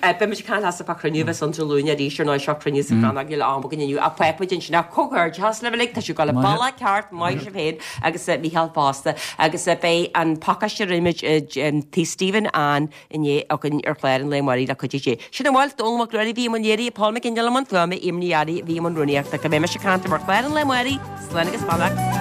Beidh muid ag caint leatsa fá chruinniú a bheas ann Dé Luain arís ar ndóigh seo cruinniú sa Chrannóg níl am againn inniu ach pléifidh muid ansin ach comhghairdeachas libh uilig tá sibh ag gabháil an bealach ceart maith sibh féin agus Mícheál fosta agus beidh an pacáiste a rinne muid i Tí Stephen Ann inné againn ar chlár an lae amáirigh le cuidiú Dé. Sin a bhfuil, Dónall Mac Ruairí a bhí i mbun léirithe, Paul Mac Fhionnghaile i mbun fuaime, Eimear Ní Fhearraigh a bhí i mbun rúnaíochta. Go mbeidh mise ag caint libh ar chlár an lae amáirigh, slán agus beannacht.